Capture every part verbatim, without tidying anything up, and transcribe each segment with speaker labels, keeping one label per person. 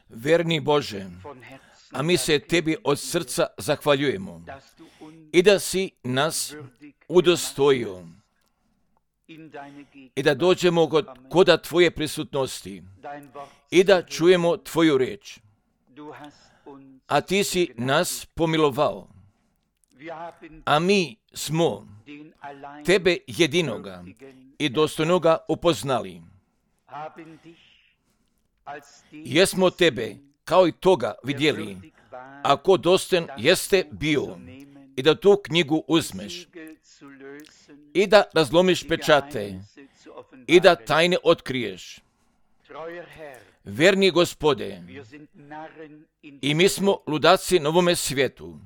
Speaker 1: Verni Bože, a mi se Tebi od srca zahvaljujemo i da si nas udostojio i da dođemo kod, koda Tvoje prisutnosti i da čujemo Tvoju riječ. A Ti si nas pomilovao, a mi smo Tebe jedinoga i dostojnoga upoznali. Jesmo Tebe kao i toga vidjeli, ako dostojan jeste bio i da tu knjigu uzmeš i da razlomiš pečate i da tajne otkriješ. Verni Gospode, i mi smo ludaci na ovome svijetu,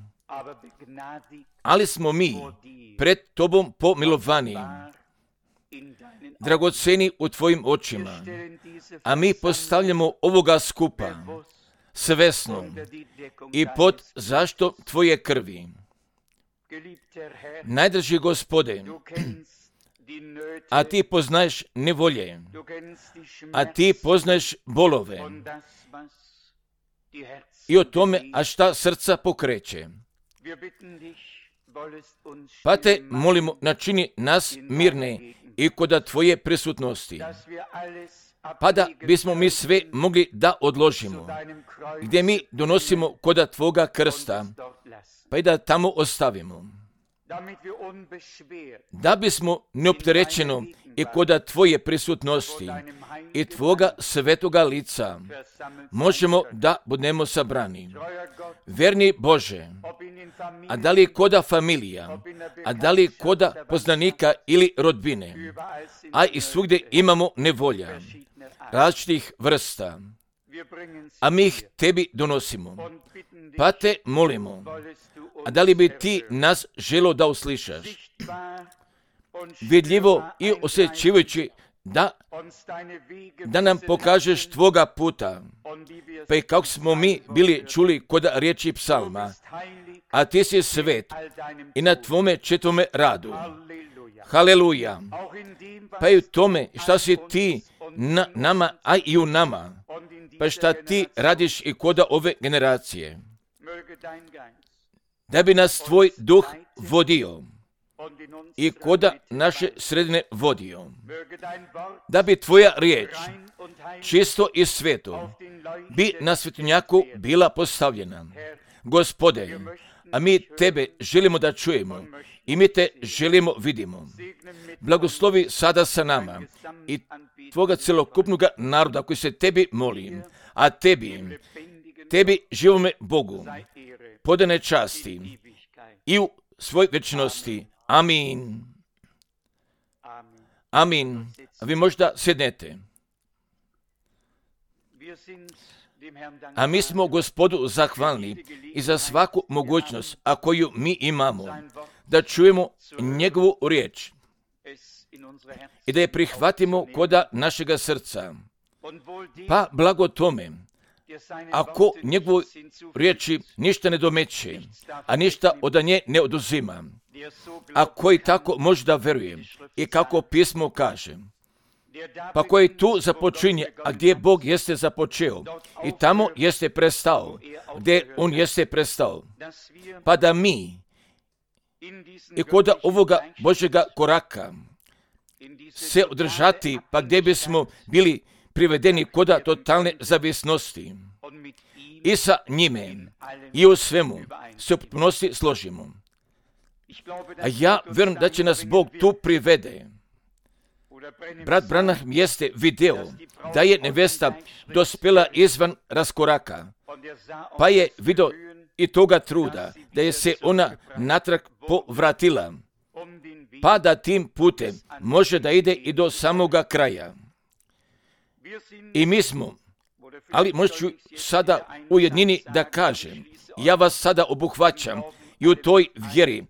Speaker 1: ali smo mi pred Tobom pomilovani, dragoceni u Tvojim očima, a mi postavljamo ovoga skupa svesno i pod zaštitom Tvoje krvi. Najdraži Gospode, a Ti poznaješ nevolje, a Ti poznaješ bolove i o tome, a šta srca pokreće. Pa Te molimo, načini nas mirne i koda Tvoje prisutnosti, pa da bismo mi sve mogli da odložimo, gdje mi donosimo koda Tvoga krsta, pa i da tamo ostavimo, da bismo neopterećeno i koda Tvoje prisutnosti i Tvoga svetoga lica možemo da budemo sabrani. Verni Bože, a da li koda familija, a da li koda poznanika ili rodbine, a i svugdje imamo nevolja, različitih vrsta, a mi ih Tebi donosimo, pa Te molimo, a da li bi Ti nas želo da uslišaš, vidljivo i osjećivajući da, da nam pokažeš Tvoga puta, pa i kako smo mi bili čuli kod riječi psalma, a Ti si svet i na Tvome četvrtome radu. Haleluja! Pa i u tome šta si Ti na nama, a i u nama, pa šta Ti radiš i koda ove generacije, da bi nas Tvoj duh vodio i koda naše sredine vodio, da bi Tvoja riječ čisto i sveto bi na svetinjaku bila postavljena. Gospode, a mi Tebe želimo da čujemo i mi Te želimo vidimo. Blagoslovi sada sa nama i Tvoga celokupnog naroda koji se Tebi moli, a Tebi, Tebi živome Bogu, podane časti i u svoj večnosti. Amin. Amin. A vi možda sjednete. A mi smo Gospodu zahvalni i za svaku mogućnost, a koju mi imamo, da čujemo njegovu riječ i da je prihvatimo koda našega srca. Pa blago tome, ako njegovu riječi ništa ne domeće, a ništa od nje ne oduzima, a koji tako može da veruje i kako pismo kaže, pa koji tu započinje, a gdje Bog jeste započeo i tamo jeste prestao, gdje On jeste prestao, pa da mi i koda ovoga Božjega koraka se održati, pa gdje bismo bili privedeni koda totalne zavisnosti i sa njime i u svemu se u potpunosti složimo. A ja vjerujem da će nas Bog tu privede. Brat Branham jeste video da je nevesta dospjela izvan raskoraka, pa je vidio i toga truda da je se ona natrag povratila, pa da tim putem može da ide i do samoga kraja. I mi smo, ali možda ću sada u jednini da kažem, ja vas sada obuhvaćam i u toj vjeri,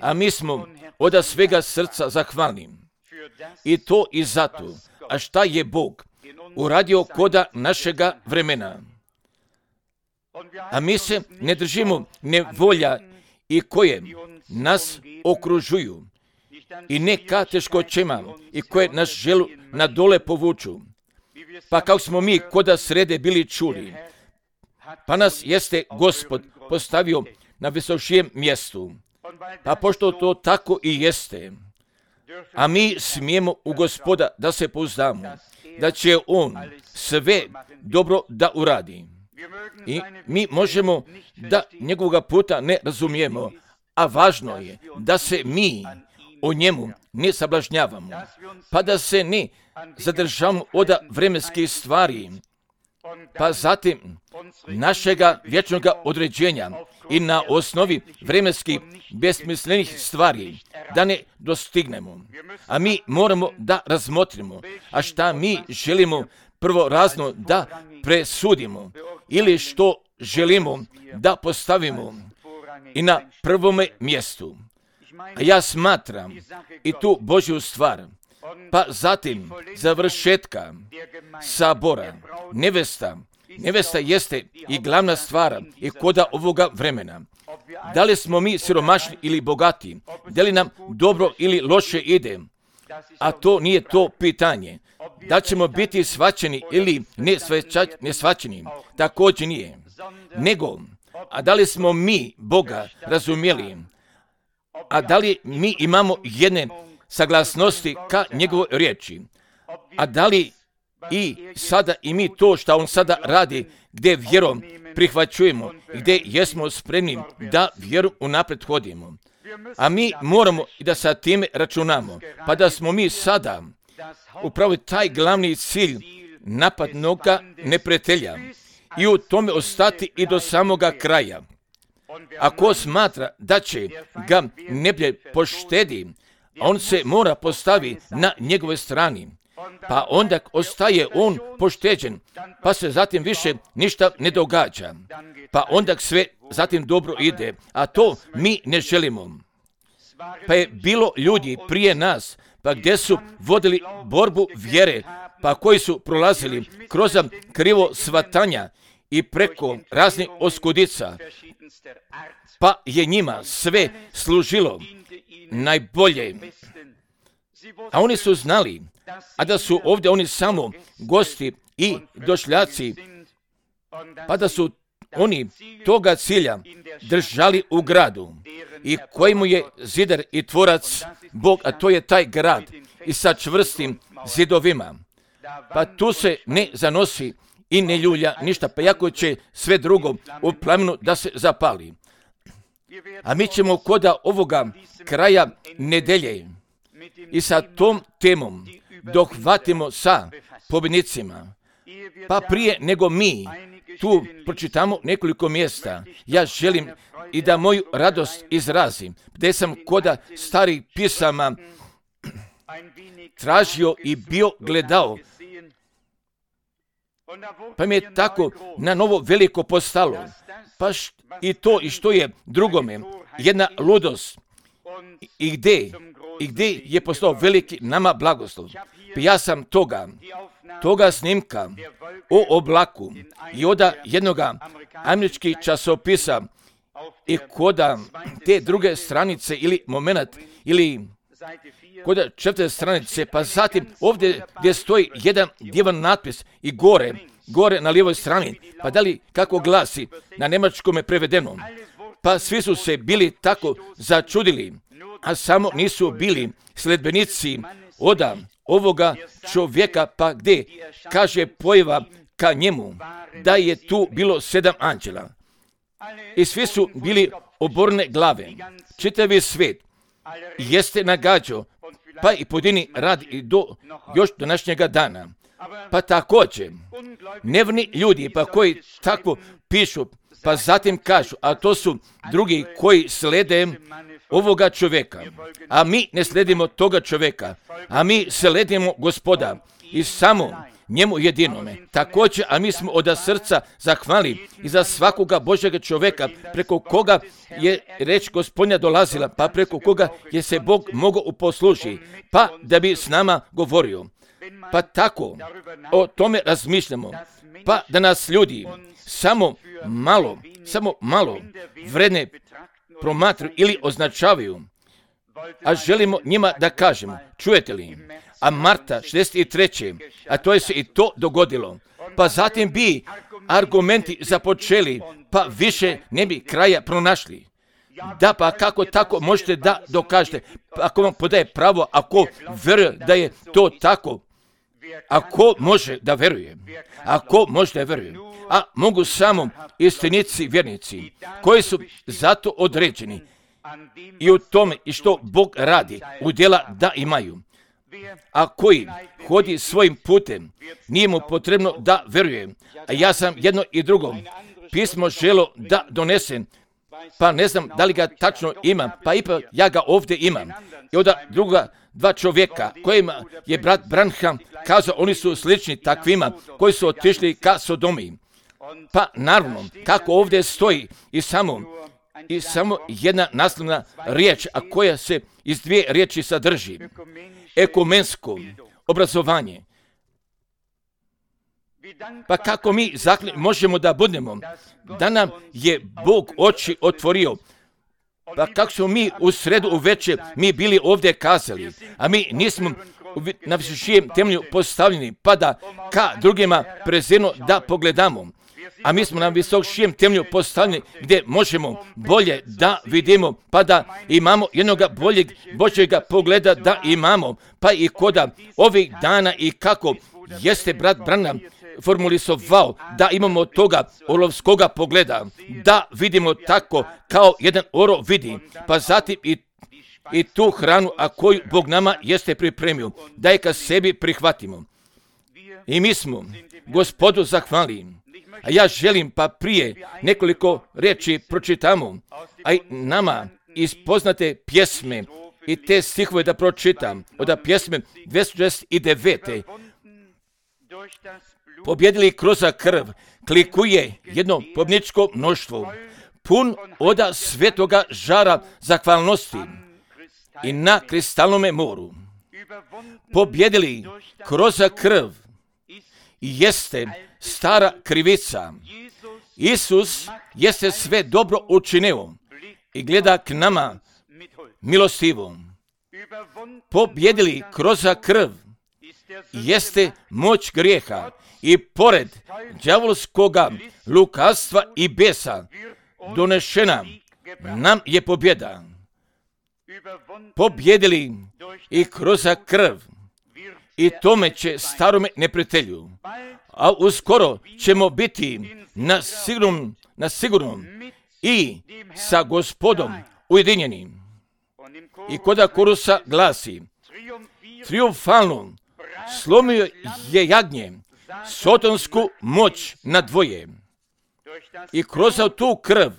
Speaker 1: a mi smo od svega srca zahvalni. I to i zato, a šta je Bog uradio koda našega vremena. A mi se ne držimo nevolja i koje nas okružuju i ne ka teškoćama i koje nas želu na dole povuču. Pa kako smo mi koda srede bili čuli, pa nas jeste Gospod postavio na visočijem mjestu. Pa pošto to tako i jeste, a mi smijemo u Gospoda da se pouzdamo, da će On sve dobro da uradi. I mi možemo da njegovoga puta ne razumijemo, a važno je da se mi o njemu ne sablažnjavamo, pa da se ne zadržavamo od vremenskih stvari, pa zatim našega vječnog određenja i na osnovi vremenskih besmislenih stvari da ne dostignemo. A mi moramo da razmotrimo, a šta mi želimo prvorazno da presudimo ili što želimo da postavimo i na prvome mjestu. A ja smatram i tu Božju stvar, pa zatim završetka sabora, nevesta, nevesta jeste i glavna stvar i koda ovoga vremena. Da li smo mi siromašni ili bogati, da li nam dobro ili loše ide, a to nije to pitanje. Da ćemo biti shvaćeni ili ne shvaćeni, također nije. Nego, a da li smo mi Boga razumjeli, a da li mi imamo jedne saglasnosti ka njegovoj riječi, a da li i sada i mi to što on sada radi, gdje vjerom prihvaćujemo, gdje jesmo spremni da vjeru unaprijed hodimo. A mi moramo i da sa time računamo, pa da smo mi sada upravo taj glavni cilj napadnoga neprijatelja i u tome ostati i do samoga kraja. Ako smatra da će ga neblje poštedi, on se mora postavi na njegove strani, pa onda ostaje on pošteđen, pa se zatim više ništa ne događa, pa onda sve zatim dobro ide, a to mi ne želimo. Pa je bilo ljudi prije nas, pa gdje su vodili borbu vjere, pa koji su prolazili kroz krivo shvatanja i preko raznih oskudica, pa je njima sve služilo najbolje. A oni su znali, a da su ovdje oni samo gosti i došljaci, pa da su oni toga cilja držali u gradu i kojemu je zidar i tvorac Bog, a to je taj grad i sa čvrstim zidovima. Pa tu se ne zanosi i ne ljulja ništa, pa jako će sve drugo u plamenu da se zapali. A mi ćemo koda ovoga kraja nedelje i sa tom temom dohvatimo sa pobjednicima. Pa prije nego mi tu pročitamo nekoliko mjesta, ja želim i da moju radost izrazim, gdje sam koda starih pisama tražio i bio gledao, pa mi je tako na novo veliko postalo. Pa št, i to i što je drugome jedna ludost i gdje, i gdje je postao veliki nama blagoslov. Pa ja sam toga, toga snimka o oblaku i od jednoga američkih časopisa i koda te druge stranice ili moment ili koda četvrte stranice, pa zatim ovdje gdje stoji jedan divan natpis i gore, gore na lijevoj strani, pa da li kako glasi na njemačkome prevedeno, pa svi su se bili tako začudili, a samo nisu bili sledbenici od ovoga čovjeka, pa gdje kaže pojava ka njemu da je tu bilo sedam anđela i svi su bili oborne glave. Čitavi svijet jeste nagađao, pa i pojedini radi i do još današnjega dana. Pa također, nevni ljudi pa koji tako pišu, pa zatim kažu, a to su drugi koji slede ovoga čovjeka. A mi ne sledimo toga čovjeka, a mi sledimo Gospoda i samo njemu jedinome. Također, a mi smo od srca zahvali i za svakoga Božjega čovjeka preko koga je reč Gospodnja dolazila, pa preko koga je se Bog mogao uposlužiti, pa da bi s nama govorio. Pa tako o tome razmišljamo, pa da nas ljudi samo malo, samo malo vredne promatruju ili označavaju, a želimo njima da kažemo, čujete li, a marta šezdeset treće a to je se i to dogodilo. Pa zatim bi argumenti započeli, pa više ne bi kraja pronašli. Da, pa kako tako možete da dokažete? Ako vam podaje pravo, ako veruje da je to tako, ako može da veruje, ako može da veruje, a mogu samo istinici vjernici, koji su zato određeni i u tome i što Bog radi, u djela da imaju. A koji hodi svojim putem, nije mu potrebno da veruje. A ja sam jedno i drugo pismo želo da donesem, pa ne znam da li ga tačno imam, pa ipak ja ga ovdje imam. I onda druga dva čovjeka kojima je brat Branham kazao, oni su slični takvima koji su otišli ka Sodomi. Pa naravno, kako ovdje stoji i samo, i samo jedna naslovna riječ, a koja se iz dvije riječi sadrži. Ekumensko obrazovanje. Pa kako mi zakli možemo da budemo, da nam je Bog oči otvorio, pa kako smo mi u sredu uveče mi bili ovdje kazali, a mi nismo na visočijem temelju postavljeni, pa da ka drugima prezirno da pogledamo. A mi smo na visočijem temelju postavljeni gdje možemo bolje da vidimo, pa da imamo jednoga boljeg Božjega pogleda da imamo, pa i koda ovih dana i kako jeste brat Branham formulisovao da imamo toga olovskoga pogleda, da vidimo tako kao jedan orao vidi, pa zatim i, i tu hranu, a koju Bog nama jeste pripremio, da je ka sebi prihvatimo. I mi smo Gospodu zahvali. A ja želim pa prije nekoliko riječi pročitamo, a i nama iz poznate pjesme i te stihove da pročitam, od pjesme dvjesto šezdeset devet. Pobjedili kroz krv, klikuje jedno pobjedničko mnoštvo, pun oda svetoga žara zahvalnosti i na kristalnome moru. Pobjedili kroz krv jeste stara krivica. Isus jeste sve dobro učinio i gleda k nama milostivo. Pobjedili kroz krv jeste moć grijeha i pored đavolskoga lukavstva i besa donešena nam je pobjeda. Pobjedili i kroz krv i tome će starome neprijatelju, a uskoro ćemo biti na sigurnom, na sigurnom i sa Gospodom ujedinjeni. I koda korusa glasi, triumfalno slomio je jagnje sotonsku moć na dvoje i kroz tu krv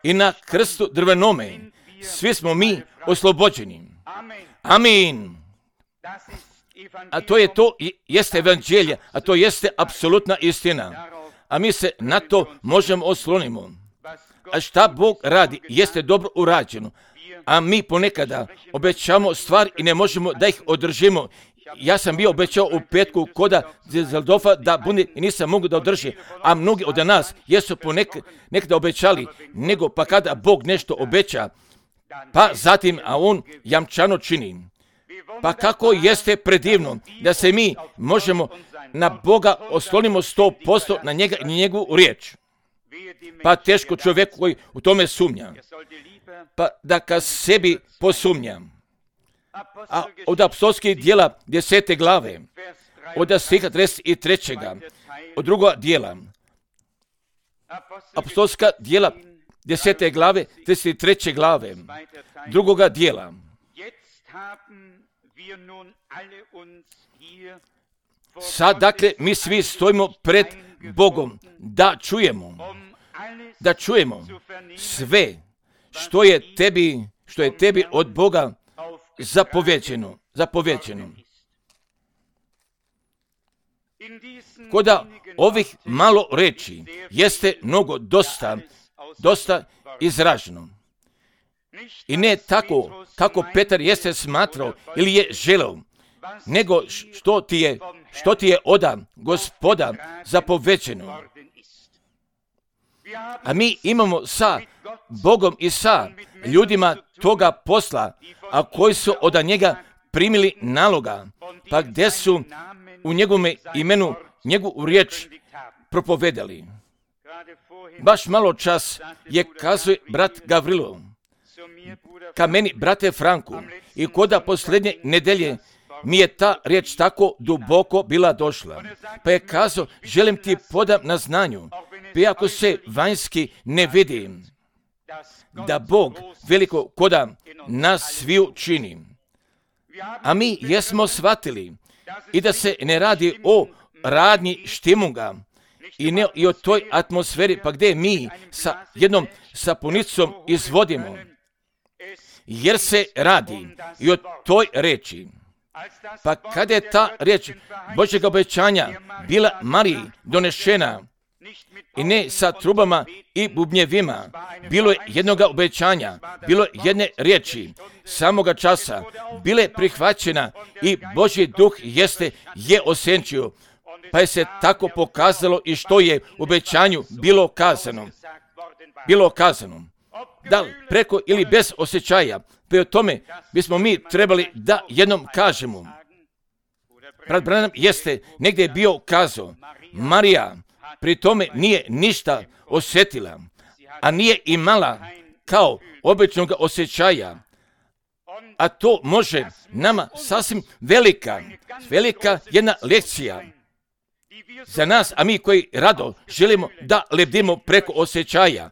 Speaker 1: i na krstu drvenome svi smo mi oslobođeni. Amin. A to je to, jeste evanđelje, a to jeste apsolutna istina. A mi se na to možemo oslonimo. A šta Bog radi, jeste dobro urađeno. A mi ponekada obećamo stvari i ne možemo da ih održimo. Ja sam bio obećao u petku koda Zeldorfa da bude i nisam mogu da održi. A mnogi od nas jesu ponekada nekada obećali, nego pa kada Bog nešto obeća, pa zatim, a on jamčano čini. Pa kako jeste predivno da se mi možemo na Boga oslonimo sto posto na njega i njegovu riječ. Pa teško čovjeku koji u tome sumnja. Pa da ka sebi posumnjam. A od apostolskih dijela desete glave, od stiha trideset trećeg od druga dijela, apostolska dijela desete glave, trideset treće glave, drugoga dijela. Sad, dakle, mi svi stojimo pred Bogom da čujemo, da čujemo sve što je tebi, što je tebi od Boga zapovećeno, zapovećeno. Koda ovih malo reči jeste mnogo dosta, dosta izraženo. I ne tako kako Petar jeste smatrao ili je želeo, nego što ti je, što ti je oda Gospoda zapovećeno. A mi imamo sa Bogom i sa ljudima toga posla, a koji su od njega primili naloga, pa gdje su u njegovome imenu njegovu riječ propovedali. Baš malo čas je kazuje brat Gavrilo ka meni, brate Franku, i koda posljednje nedelje mi je ta riječ tako duboko bila došla. Pa je kazao, želim ti podam na znanju, pa iako se vanjski ne vidi, da Bog veliko koda nas sviju čini. A mi jesmo shvatili i da se ne radi o radnji štimunga i ne i o toj atmosferi, pa gdje mi sa jednom sapunicom izvodimo, jer se radi i o toj reči. Pa kada je ta riječ Božjega obećanja bila Mariji donešena, i ne sa trubama i bubnjevima, bilo je jednoga obećanja, bilo je jedne riječi, samoga časa, bile prihvaćena i Božji duh jeste je osenčio, pa je se tako pokazalo i što je u obećanju bilo kazano. Bilo kazano. Da li preko ili bez osjećaja, pa o tome bismo mi trebali da jednom kažemo. Brat Branham jeste negdje bio kazao, Marija pri tome nije ništa osjetila, a nije imala kao običnog osjećaja. A to može nama sasvim velika, velika jedna lekcija za nas, a mi koji rado želimo da lebdimo preko osjećaja.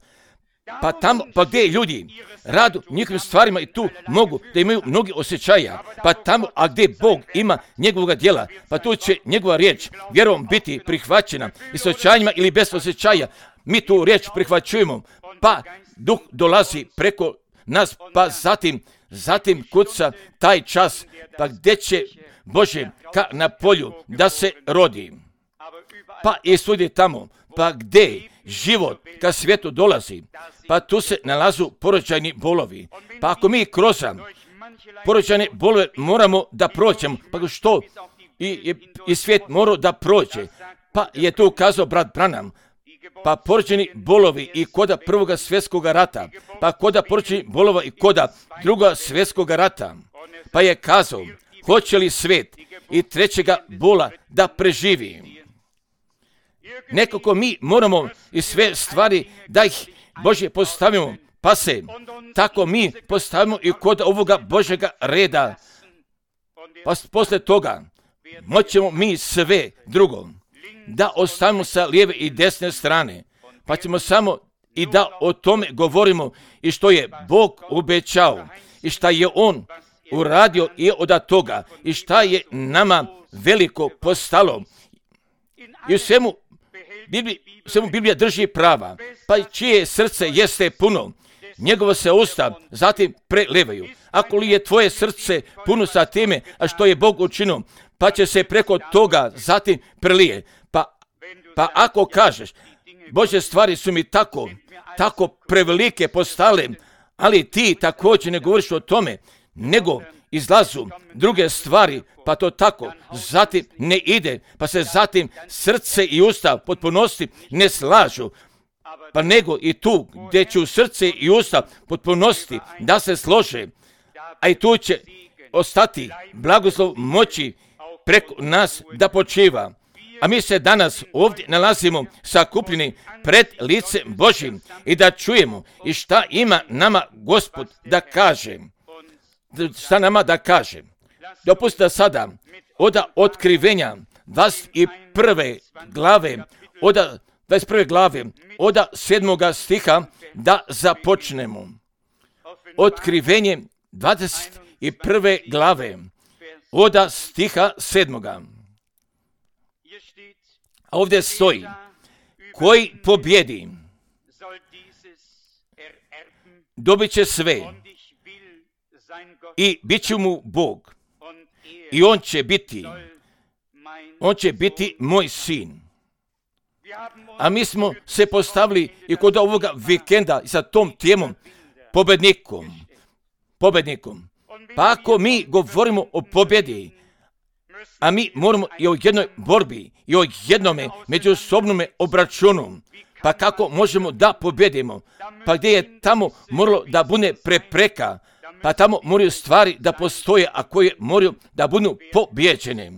Speaker 1: Pa tamo, pa gdje ljudi radu njihovim stvarima i tu mogu da imaju mnogi osjećaja, pa tamo, a gdje Bog ima njegovog djela, pa tu će njegova riječ vjerom biti prihvaćena i s osjećanjima ili bez osjećaja. Mi tu riječ prihvaćujemo, pa duh dolazi preko nas, pa zatim, zatim kuca taj čas, pa gdje će Bože ka na polju da se rodi. Pa i svugdje tamo, pa gdje život ka svijetu dolazi, pa tu se nalazu porođajni bolovi. Pa ako mi kroz porođajne bolove moramo da prođemo, pa što i, i, i svijet mora da prođe, pa je tu ukazao brat Branham, pa porođajni bolovi i koda prvoga svjetskog rata, pa koda porođajni bolova i koda druga svjetskog rata, pa je kazao, hoće li svijet i trećega bola da preživi. Nekako mi moramo i sve stvari da ih Božje postavimo, pa se tako mi postavimo i kod ovoga Božjega reda. Pa posle toga moćemo mi sve drugo da ostavimo sa lijeve i desne strane, pa ćemo samo i da o tome govorimo i što je Bog obećao i šta je On uradio i od toga i šta je nama veliko postalo. I u svemu Bibliji, svemu Biblija drži prava, pa čije srce jeste puno, njegovo se usta zatim prelevaju. Ako li je tvoje srce puno sa time, a što je Bog učinio, pa će se preko toga zatim prelije. Pa, pa ako kažeš, Božje stvari su mi tako, tako prevelike postale, ali ti također ne govoriš o tome, nego izlazu druge stvari, pa to tako zatim ne ide, pa se zatim srce i usta potpunosti ne slažu, pa nego i tu gdje će srce i usta potpunosti da se slože, a i tu će ostati blagoslov moći preko nas da počiva. A mi se danas ovdje nalazimo sakupljeni pred licem Božjim i da čujemo i šta ima nama Gospod da kaže. Šta nama da kaže. Dopustite sada od otkrivenja dvadeset prve glave, od dvadeset prve glave, od sedmoga stiha da započnemo. Otkrivenje dvadeset prve glave, od stiha sedmoga. A ovdje stoji, koji pobjedi, dobit će sve i bit će mu Bog i on će biti, on će biti moj sin. A mi smo se postavili i kod ovoga vikenda sa tom temom pobednikom, pobednikom. Pa ako mi govorimo o pobjedi, a mi moramo i o jednoj borbi i o jednome međusobnome obračunu, pa kako možemo da pobjedimo, pa gdje je tamo moralo da bude prepreka, Pa tamo moraju stvari da postoje, a koje moraju da budu pobjeđene.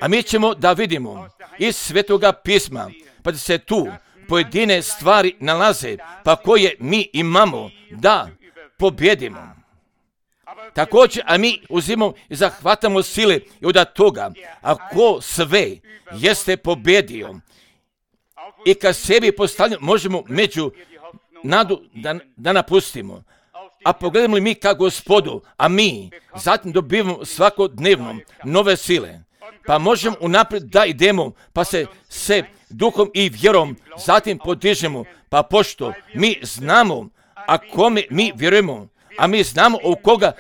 Speaker 1: A mi ćemo da vidimo iz Svetoga pisma, pa da se tu pojedine stvari nalaze, pa koje mi imamo da pobjedimo. Također, a mi uzimamo i zahvatamo sile i od toga, ako sve jeste pobjedio i kad sebi postavljamo, možemo među nadu da, da napustimo. A pogledamo li mi ka Gospodu, a mi zatim dobivamo svakodnevno nove sile, pa možemo unaprijed da idemo, pa se se duhom i vjerom zatim podižemo, pa pošto mi znamo, a kome mi vjerujemo, a mi znamo u koga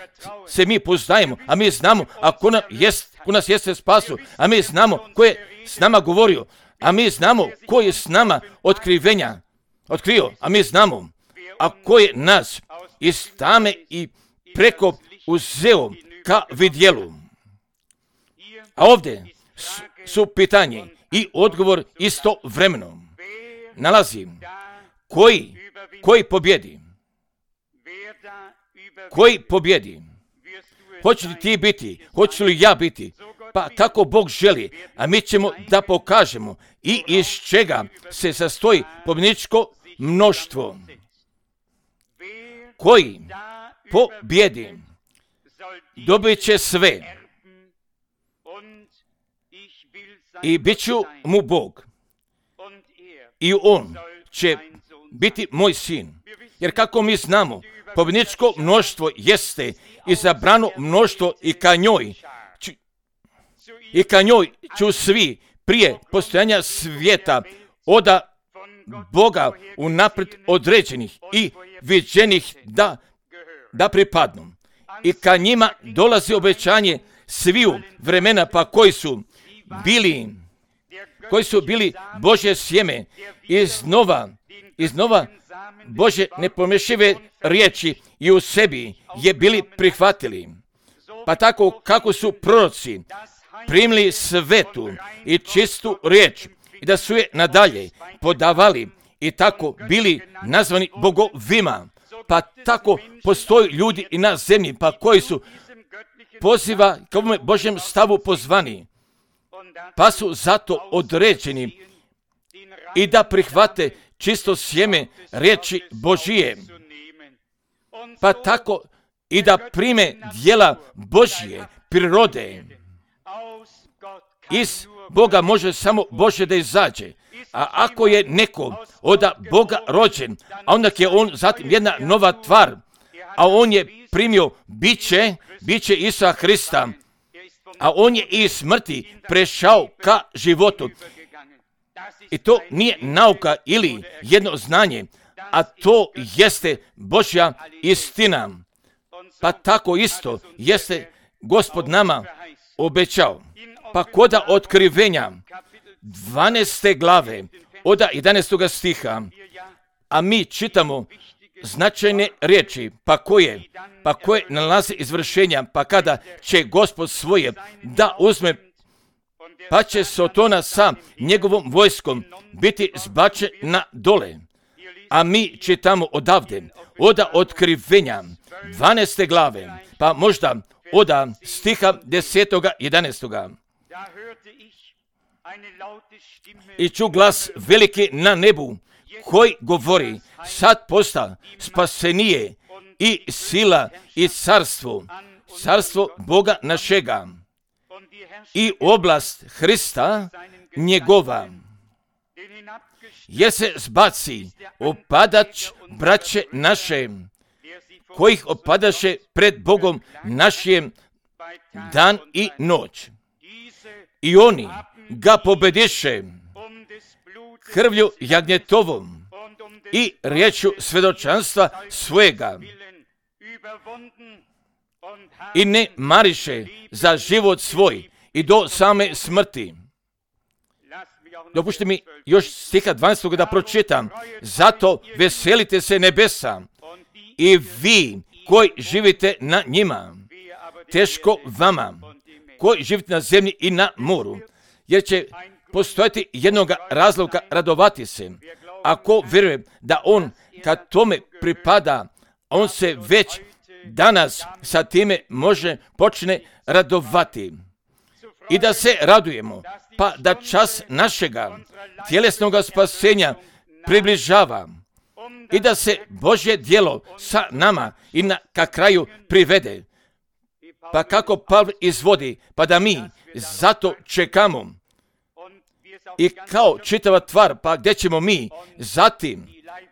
Speaker 1: se mi poznajemo, a mi znamo a ko, nam jest, ko nas jeste spasu, a mi znamo ko je s nama govorio, a mi znamo ko je s nama otkrivenja otkrio, a mi znamo a ko je nas iz tame i preko uzeo ka vidjelu. A ovdje su pitanje i odgovor istovremeno. Nalazi koji, koji pobjedi? Koji pobjedi? Hoće li ti biti? Hoće li ja biti? Pa kako Bog želi, a mi ćemo da pokažemo i iz čega se sastoji pobjedničko mnoštvo. Koji pobjedi dobit će sve i bit ću mu Bog i on će biti moj sin. Jer kako mi znamo, pobjedničko mnoštvo jeste izabrano mnoštvo i ka njoj ću, i ka njoj ću svi prije postojanja svijeta oda Boga unaprijed određenih i viđenih da, da pripadnu. I ka njima dolazi obećanje sviju vremena, pa koji su bili, koji su bili Božje sjeme iznova, iznova Božje nepomešive riječi i u sebi je bili prihvatili. Pa tako kako su proroci primili svetu i čistu riječ i da su je nadalje podavali i tako bili nazvani bogovima, pa tako postoji ljudi i na zemlji, pa koji su poziva k ovome Božjem stavu pozvani, pa su zato određeni i da prihvate čisto sjeme riječi Božije, pa tako i da prime djela Božje prirode. Iz Boga može samo Božje da izađe, a ako je neko od Boga rođen, a onda je on zatim jedna nova tvar, a on je primio biće, biće Isusa Hrista, a on je iz smrti prešao ka životu. I to nije nauka ili jedno znanje, a to jeste Božja istina. Pa tako isto jeste Gospod nama obećao. Pa koda otkrivenja dvanaeste glave od jedanaestog stiha, a mi čitamo značajne riječi, pa koje, pa koje nalaze izvršenja, pa kada će Gospod svoje da uzme, pa će Sotona sa njegovom vojskom biti zbačen na dole. A mi čitamo odavde, od otkrivenja dvanaeste glave, pa možda od stiha desetoga jedanaestoga. I ču glas veliki na nebu, koji govori, sad posta spasenije i sila i carstvo, carstvo Boga našega i oblast Hrista njegova. Jer se zbaci opadač braće naše, kojih opadaše pred Bogom našim dan i noć. I oni ga pobediše krvlju jagnjetovom i riječju svjedočanstva svojega i ne mariše za život svoj i do same smrti. Dopušte mi još stiha dvanaestog da pročitam. Zato veselite se nebesa i vi koji živite na njima. Teško vama koji živite na zemlji i na moru, jer će postojati jednog razloga radovati se. Ako vjeruje da on kad tome pripada, on se već danas sa time može počne radovati i da se radujemo, pa da čas našega tjelesnog spasenja približava i da se Božje djelo sa nama i na ka kraju privede. Pa kako Pavle izvodi, pa da mi zato čekamo i kao čitava tvar, pa gdje ćemo mi zatim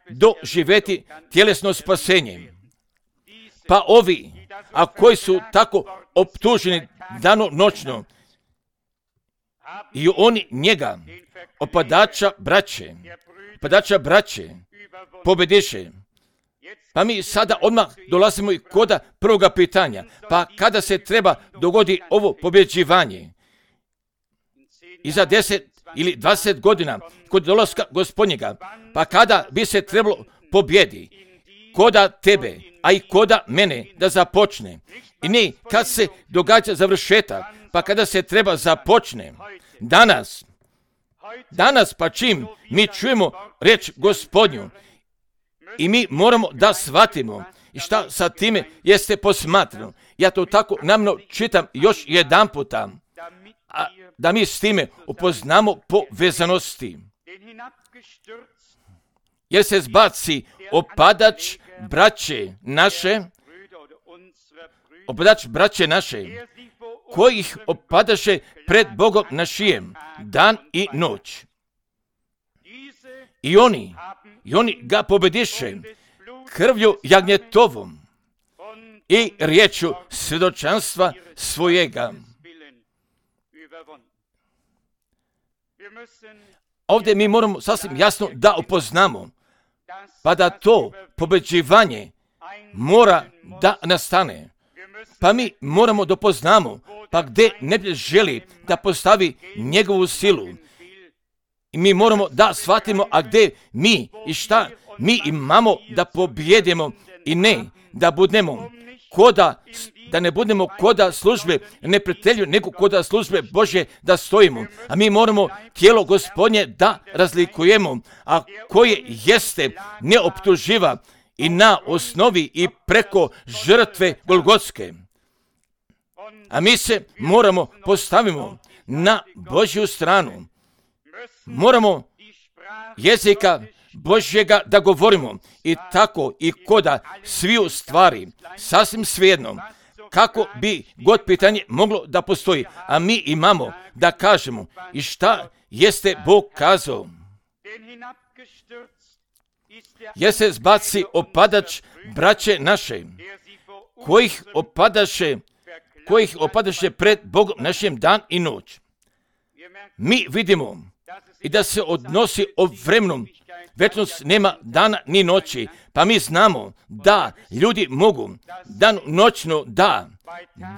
Speaker 1: doživjeti tjelesno spasenje. Pa ovi, a koji su tako optuženi dano noćno, i oni njega, opadača braće, opadača braće, pobediše. Pa mi sada odmah dolazimo i koda prvoga pitanja. Pa kada se treba dogodi ovo pobjeđivanje? I za deset ili dvadeset godina kod dolaska Gospodnjega, pa kada bi se trebalo pobjedi koda tebe, a i koda mene da započne. I ne kad se događa završetak, pa kada se treba započne. Danas, danas pa čim mi čujemo reč Gospodnju i mi moramo da shvatimo i šta sa time jeste posmatrano. Ja to tako namno čitam još jedan puta, a da mi s time upoznamo povezanosti. Jer se zbaci opadač braće naše, opadač braće naše, kojih opadaše pred Bogom našijem, dan i noć. I oni, i oni ga pobediše krvlju jagnjetovom i riječu svjedočanstva svojega. Ovdje mi moramo sasvim jasno da upoznamo, pa da to pobeđivanje mora da nastane. Pa mi moramo da poznamo, pa gdje ne želi da postavi njegovu silu. I mi moramo da shvatimo, a gdje mi i šta mi imamo da pobjedimo i ne da budemo koda, da ne budemo koda službe neprijatelju, nego koda službe Božje da stojimo. A mi moramo tijelo Gospodnje da razlikujemo, a koje jeste neoptuživa i na osnovi i preko žrtve Golgotske. A mi se moramo postavimo na Božju stranu. Moramo jezika Božjega da govorimo i tako i koda sviju stvari, sasvim svejedno, kako bi god pitanje moglo da postoji, a mi imamo da kažemo i šta jeste Bog kazao. Jer se zbaci opadač braće naše, kojih opadaše, kojih opadaše pred Bogom našim dan i noć. Mi vidimo i da se odnosi o vremenu, večnost nema dana ni noći, pa mi znamo da ljudi mogu dan noćno da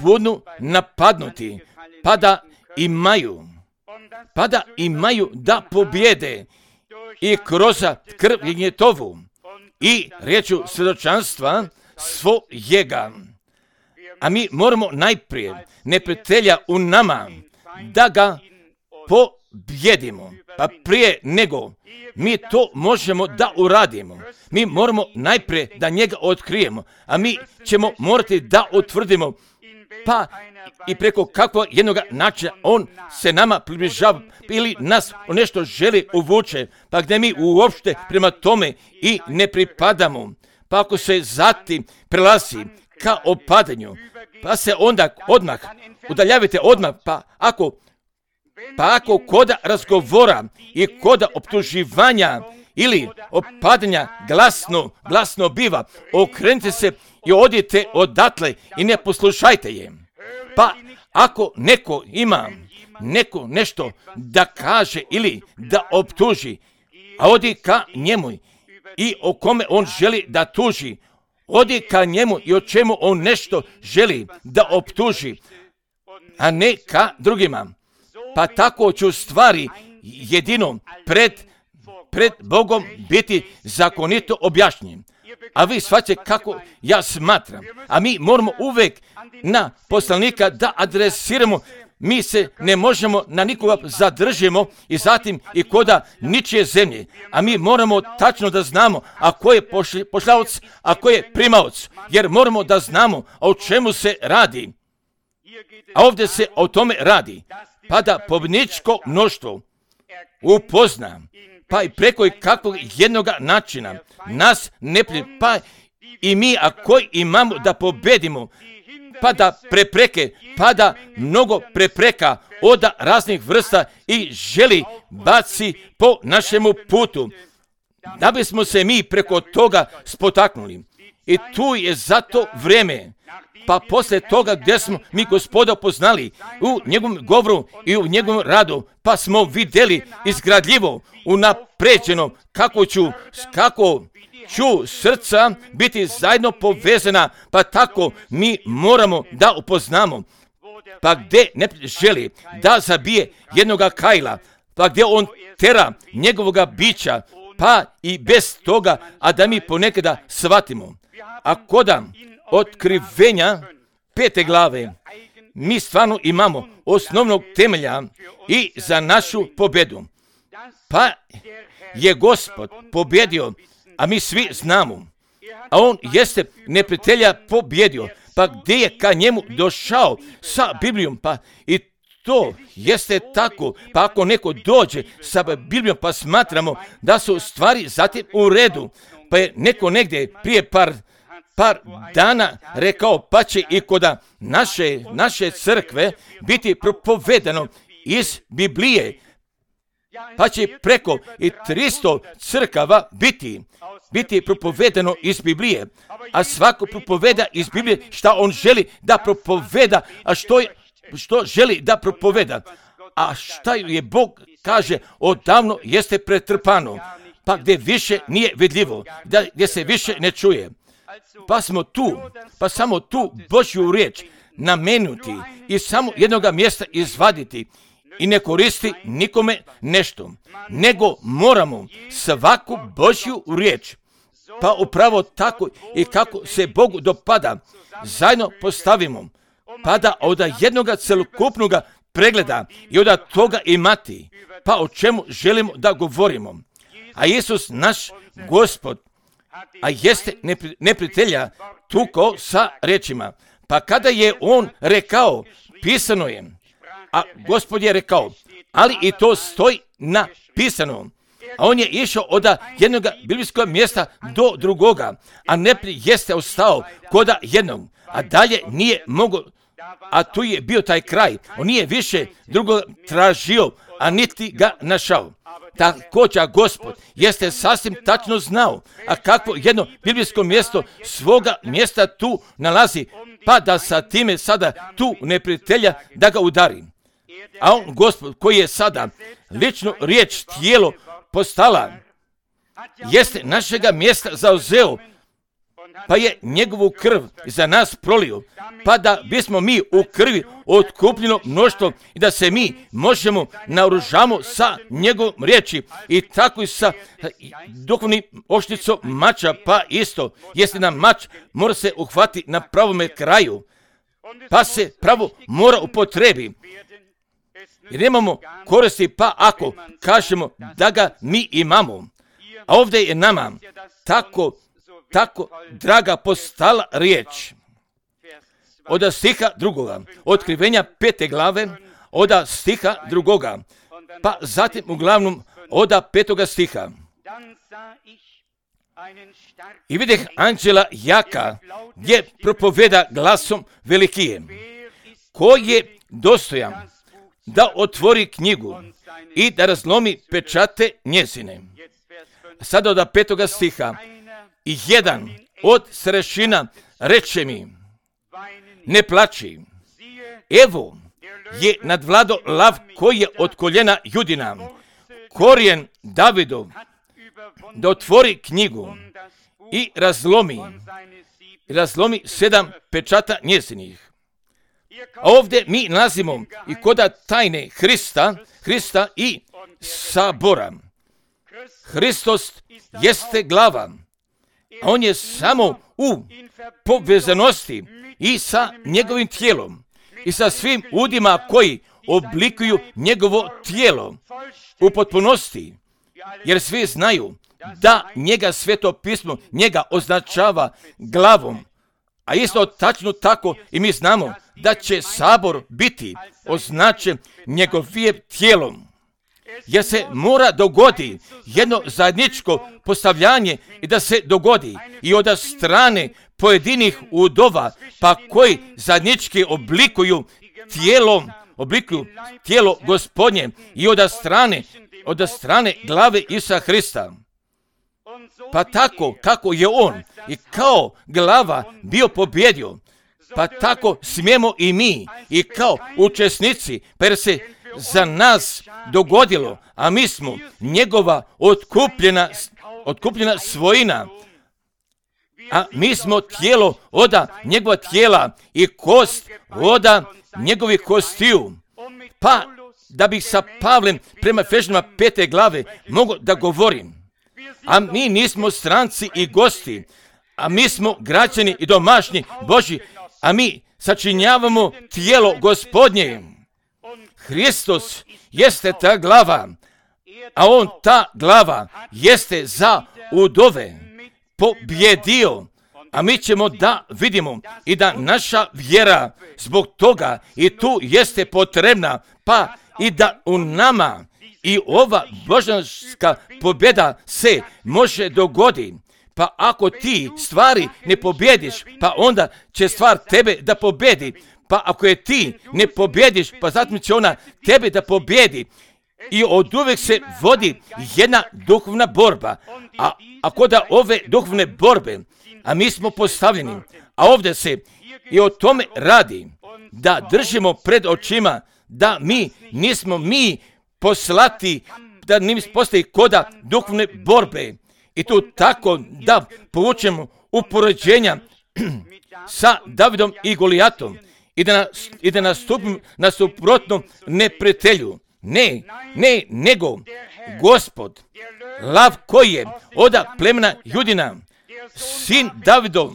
Speaker 1: budu napadnuti, pa da imaju, pa da imaju da pobjede i kroz krv jagnjetovu i riječu svjedočanstva svojega. A mi moramo najprije neprijatelja u nama da ga pobjedimo. Pa prije nego mi to možemo da uradimo. Mi moramo najprije da njega otkrijemo, a mi ćemo morati da utvrdimo pa i preko kakvog jednog načina on se nama približava ili nas u nešto želi uvuče, pa gdje mi uopšte prema tome i ne pripadamo. Pa ako se zatim prelazi ka opadanju, pa se onda odmah udaljavite odmah, pa ako Pa ako koda razgovora i koda optuživanja ili opadanja glasno, glasno biva, okrenite se i odite odatle i ne poslušajte je. Pa ako neko ima neko nešto da kaže ili da optuži, a odi ka njemu i o kome on želi da tuži, odi ka njemu i o čemu on nešto želi da optuži, a ne ka drugima. Pa tako ću stvari jedino pred, pred Bogom biti zakonito objašnjen. A vi shvaćate kako ja smatram. A mi moramo uvijek na poslanika da adresiramo mi se ne možemo na nikoga zadržimo i zatim i koda ničije zemlje. A mi moramo tačno da znamo a ko je pošljavac, a ko je primaoc. Jer moramo da znamo o čemu se radi. A ovdje se o tome radi. Pa da pobjedničko mnoštvo upozna, pa i preko i kakvog jednoga načina nas ne prije, pa i mi ako imamo da pobedimo, pa da prepreke, pa da mnogo prepreka od raznih vrsta i želi baci po našemu putu, da bismo se mi preko toga spotaknuli. I tu je zato vrijeme, pa poslije toga gdje smo mi Gospoda poznali u njegovom govoru i u njegovom radu, pa smo vidjeli izgradljivo, unapređeno, kako ću, kako ću srca biti zajedno povezana, pa tako mi moramo da upoznamo. Pa gdje ne želi da zabije jednoga Kajla, pa gdje on tera njegovoga bića, pa i bez toga, a da mi ponekada shvatimo. A koda otkrivenja pete glave, mi stvarno imamo osnovnog temelja i za našu pobjedu. Pa je Gospod pobjedio, a mi svi znamo. A on jeste neprijatelja pobjedio. Pa gdje je ka njemu došao sa Biblijom, pa i to jeste tako. Pa ako neko dođe sa Biblijom, pa smatramo da su stvari zatim u redu, pa je neko negdje prije par par dana rekao, pa će i koda naše, naše crkve biti propovedano iz Biblije, pa će preko i tristo crkava biti, biti propovedano iz Biblije, a svako propoveda iz Biblije šta on želi da propoveda, a što, je, što želi da propoveda, a šta je Bog kaže odavno jeste pretrpano, pa gdje više nije vidljivo, da, gdje se više ne čuje. Pa smo tu, pa samo tu Božju riječ namenuti i samo jednoga mjesta izvaditi i ne koristi nikome nešto, nego moramo svaku Božju riječ, pa upravo tako i kako se Bogu dopada, zajedno postavimo, pa da od jednoga celokupnoga pregleda i od toga imati, pa o čemu želimo da govorimo. A Isus, naš Gospod, a jeste neprijatelja tukao sa rečima. Pa kada je on rekao, pisano je, a Gospod je rekao, ali i to stoji napisano. A on je išao od jednog biblijskog mjesta do drugoga, a neprijatelj jeste ostao koda jednog, a dalje nije mogao, a tu je bio taj kraj. On nije više drugo tražio, a niti ga našao. Također Gospod jeste sasvim tačno znao, a kakvo jedno biblijsko mjesto svoga mjesta tu nalazi, pa da sa time sada tu neprijatelja da ga udari. A on, Gospod, koji je sada lično riječ tijelo postala, jeste našega mjesta zauzeo, pa je njegovu krv za nas prolio, pa da bismo mi u krvi otkupljeno mnoštvo i da se mi možemo naoružamo sa njegovom riječi i tako i sa duhovnim oštricom mača, pa isto jeste nam mač mora se uhvati na pravome kraju, pa se pravo mora upotrebi. Jer nemamo koristi, pa ako kažemo da ga mi imamo, a ovdje je nama tako tako draga postala riječ. Od stiha drugoga, otkrivenja pete glave, od stiha drugoga, pa zatim uglavnom od petoga stiha. I videh anđela jaka, gdje propoveda glasom velikije, ko je dostojan da otvori knjigu i da razlomi pečate njezine. Sada od petoga stiha, i jedan od starešina reče mi, ne plači, evo je nadvlado lav koji je od koljena Judina, korijen Davidov, da otvori knjigu i razlomi, razlomi sedam pečata njezinih. A ovdje mi nalazimo i koda tajne Hrista, Hrista i sabora. Hristos jeste glava, a on je samo u povezanosti i sa njegovim tijelom i sa svim udima koji oblikuju njegovo tijelo u potpunosti, jer svi znaju da njega Sveto pismo njega označava glavom, a isto tačno tako i mi znamo da će sabor biti označen njegovim tijelom. Jer se mora dogodi jedno zajedničko postavljanje i da se dogodi i od strane pojedinih udova, pa koji zajednički oblikuju tijelom, oblikuju tijelo Gospodnje i od strane, od strane glave Isusa Hrista. Pa tako kako je on i kao glava bio pobjedio, pa tako smijemo i mi i kao učesnici, per se za nas dogodilo, a mi smo njegova otkupljena, otkupljena svojina, a mi smo tijelo oda njegova tijela i kost oda njegovih kostiju. Pa da bih sa Pavlem prema Efežanima pete glave mogu da govorim, a mi nismo stranci i gosti, a mi smo građani i domaćni Božji, a mi sačinjavamo tijelo Gospodnje. Hristos jeste ta glava, a on ta glava jeste za udove pobjedio, a mi ćemo da vidimo i da naša vjera zbog toga i tu jeste potrebna, pa i da u nama i ova božanska pobjeda se može dogoditi. Pa ako ti stvari ne pobjediš, pa onda će stvar tebe da pobjedi. Pa ako je ti ne pobjediš, pa zatim će ona tebe da pobjedi. I od uvijek se vodi jedna duhovna borba. A ako da ove duhovne borbe, a mi smo postavljeni, a ovdje se i o tome radi, da držimo pred očima, da mi nismo mi poslati, da nismo postoji koda duhovne borbe. I tu tako da povučemo upoređenja sa Davidom i Golijatom i da, i da nastupim na suprotnom neprijatelju. Ne, ne, nego Gospod, lav koji je oda plemena Judina, sin Davidov,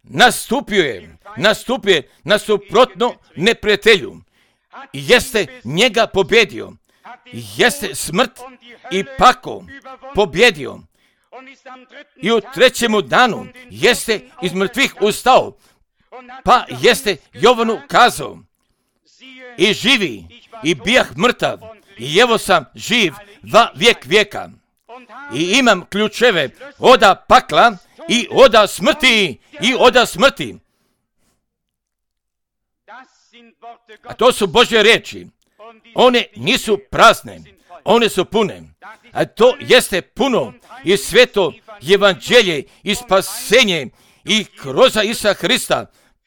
Speaker 1: nastupio je, nastupio je na suprotno neprijatelju i jeste njega pobjedio, jeste smrt i pakao pobjedio. I u trećemu danu jeste iz mrtvih ustao, pa jeste Jovanu kazao, i živi, i bijah mrtav, i evo sam živ va vijek vijeka. I imam ključeve oda pakla i oda smrti, i oda smrti. A to su Božje riječi. One nisu prazne, one su pune. A to jeste puno i sveto evanđelje i spasenje i kroz Isusa Hrista,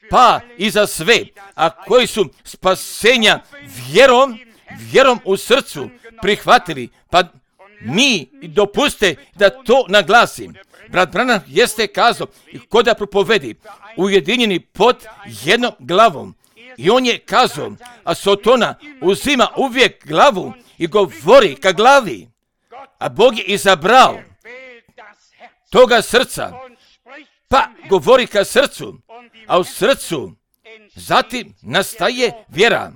Speaker 1: pa i za sve, a koji su spasenja vjerom, vjerom u srcu prihvatili, pa mi dopuste da to naglasim. Brat Branham jeste kazao, ko da propovedi, ujedinjeni pod jednom glavom. I on je kazao, a Sotona uzima uvijek glavu i govori ka glavi. A Bog je izabrao toga srca, pa govori ka srcu, a u srcu zatim nastaje vjera.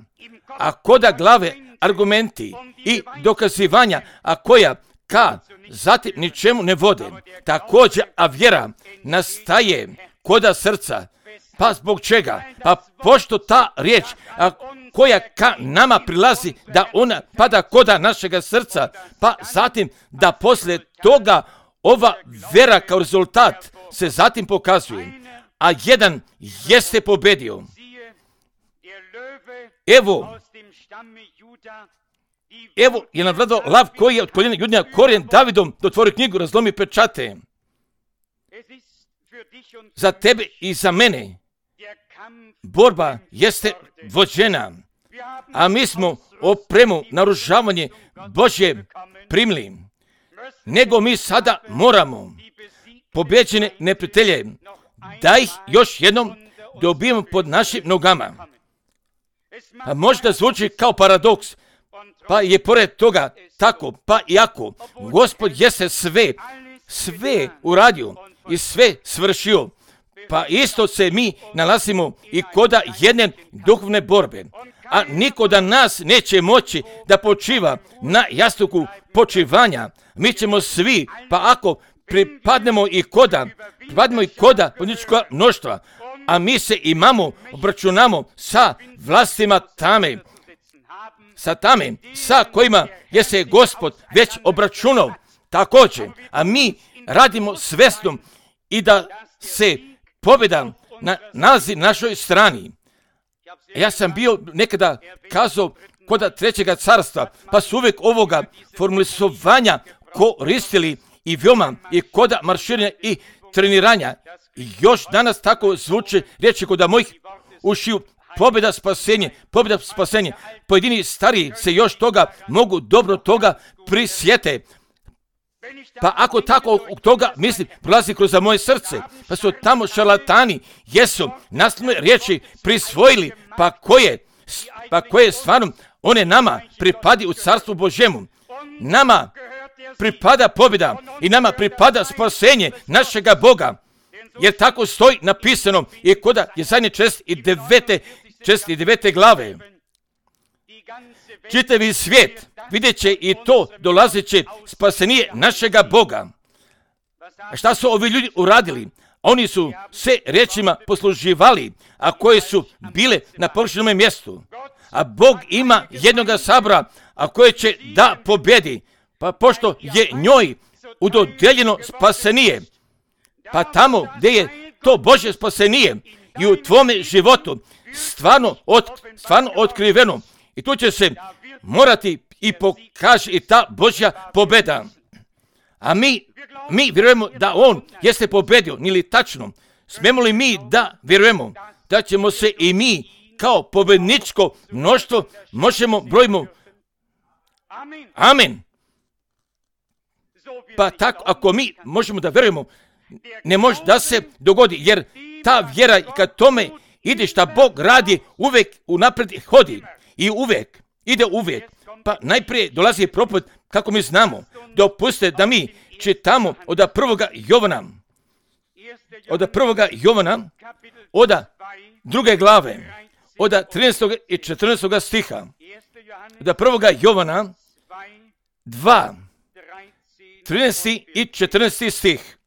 Speaker 1: A koda glave argumenti i dokazivanja, a koja ka zatim ničemu ne vode. Također, a vjera nastaje koda srca. Pa zbog čega? Pa pošto ta riječ, a koja ka nama prilazi, da ona pada koda našega srca, pa zatim da poslije toga ova vjera kao rezultat se zatim pokazuje. A jedan jeste pobjedio. Evo, evo je navladao lav koji je od koljena Judina korijen Davidom dotvori knjigu, razlomi pečate. Za tebe i za mene borba jeste vođena, a mi smo opremu, naružavanje Božje primili. Nego mi sada moramo pobjeđene neprijatelje da ih još jednom dobijemo pod našim nogama. A možda zvuči kao paradoks, pa je pored toga tako, pa iako Gospod jeste sve, sve uradio i sve svršio, Pa isto se mi nalazimo i koda jedne duhovne borbe. A niko da nas neće moći da počiva na jastuku počivanja. Mi ćemo svi, pa ako pripadnemo i koda, pripadnemo i koda političkog mnoštva, a mi se imamo, obračunamo sa vlastima tame, sa tame, sa kojima je se Gospod već obračunao također, a mi radimo svesnom i da se pobjeda na, nalazi na našoj strani. Ja sam bio nekada kazao koda trećega carstva, pa su uvijek ovoga formulisovanja koristili i veoma i koda marširanja i treniranja. I još danas tako zvuče riječi koda mojih ušiju, pobjeda spasenje, pobjeda spasenje. Pojedini stariji se još toga mogu dobro toga prisjete. Pa ako tako toga mislim, prolazi kroz moje srce, pa su tamo šarlatani, jesu naslovne riječi prisvojili, pa koje, pa koje stvarno one nama pripadi u carstvu Božjemu. Nama pripada pobjeda i nama pripada spasenje našega Boga. Jer tako stoji napisano i koda je zadnje čest i devete, čest i devete glave. Čitavi svijet vidjet će i to dolazeće spasenije našega Boga. A šta su ovi ljudi uradili? Oni su se riječima posluživali, a koje su bile na površinome mjestu. A Bog ima jednoga sabora, a koje će da pobjedi. Pa pošto je njoj udodeljeno spasenije, pa tamo gdje je to Božje spasenije i u tvome životu stvarno, od, stvarno otkriveno. I tu će se morati i pokaže i ta Božja pobjeda. A mi, mi vjerujemo da On jeste pobjedio, nili tačno. Smemo li mi da vjerujemo da ćemo se i mi kao pobjedničko mnoštvo možemo brojimo? Amen. Pa tako, ako mi možemo da vjerujemo, ne može da se dogodi, jer ta vjera kad tome ide šta Bog radi, uvijek unaprijed hodi i uvijek, ide uvijek. Pa najprije dolazi propoved, kako mi znamo, dopustite da mi čitamo od prvoga Jovana, od prvoga Jovana, od druge glave, od trinaestog i četrnaestog stiha, od prvoga Jovana, dva, trinaesti i četrnaesti stih.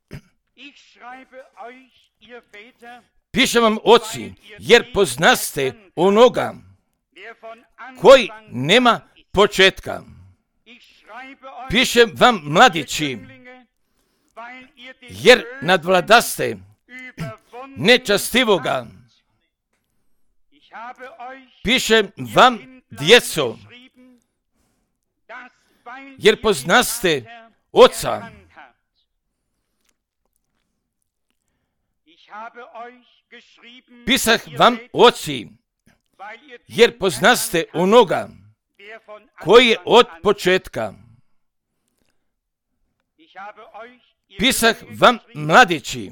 Speaker 1: Pišem vam, oci, jer poznaste onoga koji nema početka. Pišem vam, mladići, jer nadvladaste nečastivoga. Pišem vam, djeco, jer poznaste Oca. Pisah vam, oci, jer poznaste onoga koji je od početka. Pisah vam, mladići,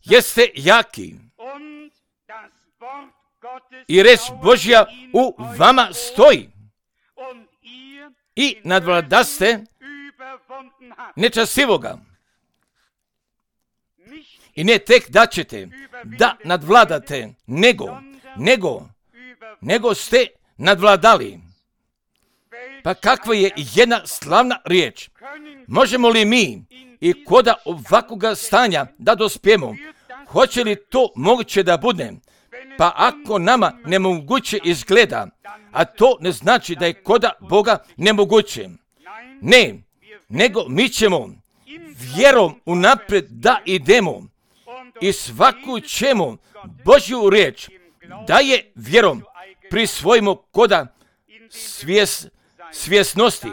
Speaker 1: jeste jaki i reč Božja u vama stoji i nadvladaste nečastivoga. I ne tek da ćete da nadvladate, nego, nego, nego ste nadvladali. Pa kakva je jedna slavna riječ. Možemo li mi i koda ovakvoga stanja da dospijemo? Hoće li to moguće da bude? Pa ako nama nemoguće izgleda, a to ne znači da je koda Boga nemoguće. Ne, nego mi ćemo vjerom unaprijed da idemo i svaku ćemo Božju riječ da je vjerom prisvojimo koda svjes, svjesnosti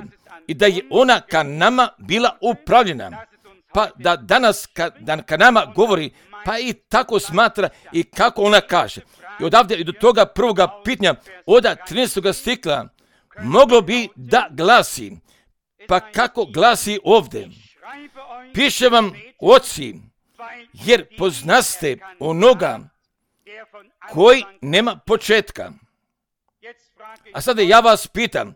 Speaker 1: i da je ona ka nama bila upravljena. Pa da danas ka, da ka nama govori, pa i tako smatra i kako ona kaže. I odavde i do toga prvoga pitanja od trinaestog stikla moglo bi da glasi, pa kako glasi ovdje. Piše vam, oci, jer poznaste onoga koji nema početka. A sada ja vas pitam,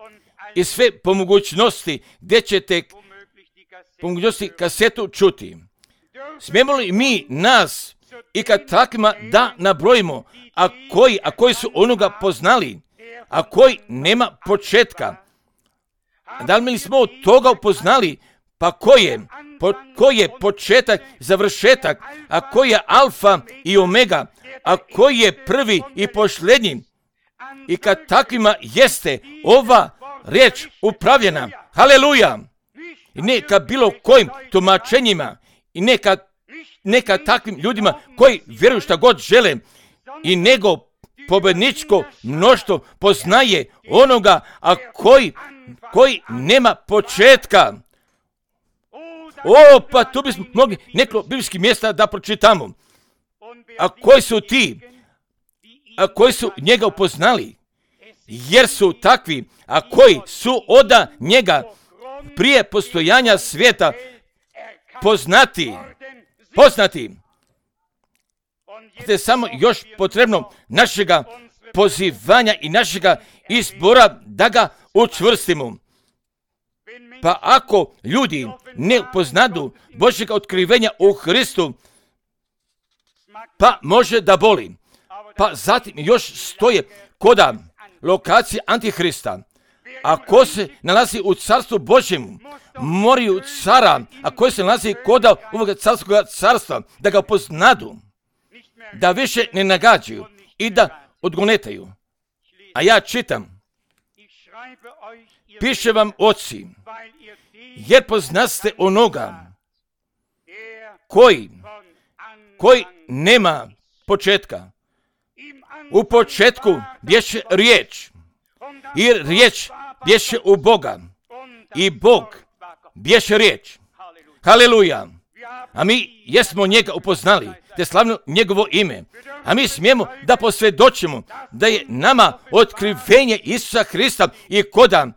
Speaker 1: i sve po mogućnosti gdje ćete po mogućnosti kasetu čuti. Smijemo li mi nas i kad takvima da nabrojimo, a koji, a koji su onoga poznali, a koji nema početka? Da li mi smo od toga upoznali? Pa ko je? Po, ko je početak, završetak, a koji je alfa i omega, a koji je prvi i posljednji? I kad takvima jeste ova riječ upravljena, haleluja, i ne ka bilo kojim tumačenjima, i neka, neka takvim ljudima koji vjeruju šta god žele, i nego pobjedničko mnoštvo poznaje onoga, a koji, koji nema početka. O, pa tu bismo mogli neko biblijskih mjesta da pročitamo. A koji su ti, a koji su njega upoznali? Jer su takvi, a koji su oda njega prije postojanja svijeta poznati, poznati. Te samo još potrebno našega pozivanja i našega izbora da ga učvrstimo. Pa ako ljudi ne poznadu Božjega otkrivenja u Hristu, pa može da boli. Pa zatim još stoje koda lokacije Antihrista. Ako se nalazi u carstvu Božjemu, moraju cara, a koji se nalazi koda ovoga carskog carstva, da ga poznadu, da više ne nagađaju i da odgonetaju. A ja čitam, piše vam oci, jer poznaste onoga koji, koji nema početka. U početku bješe riječ, i riječ bješe u Boga, i Bog bješe riječ. Haleluja! A mi jesmo njega upoznali, te slavno njegovo ime. A mi smijemo da posvjedočimo da je nama otkrivenje Isusa Hrista i koda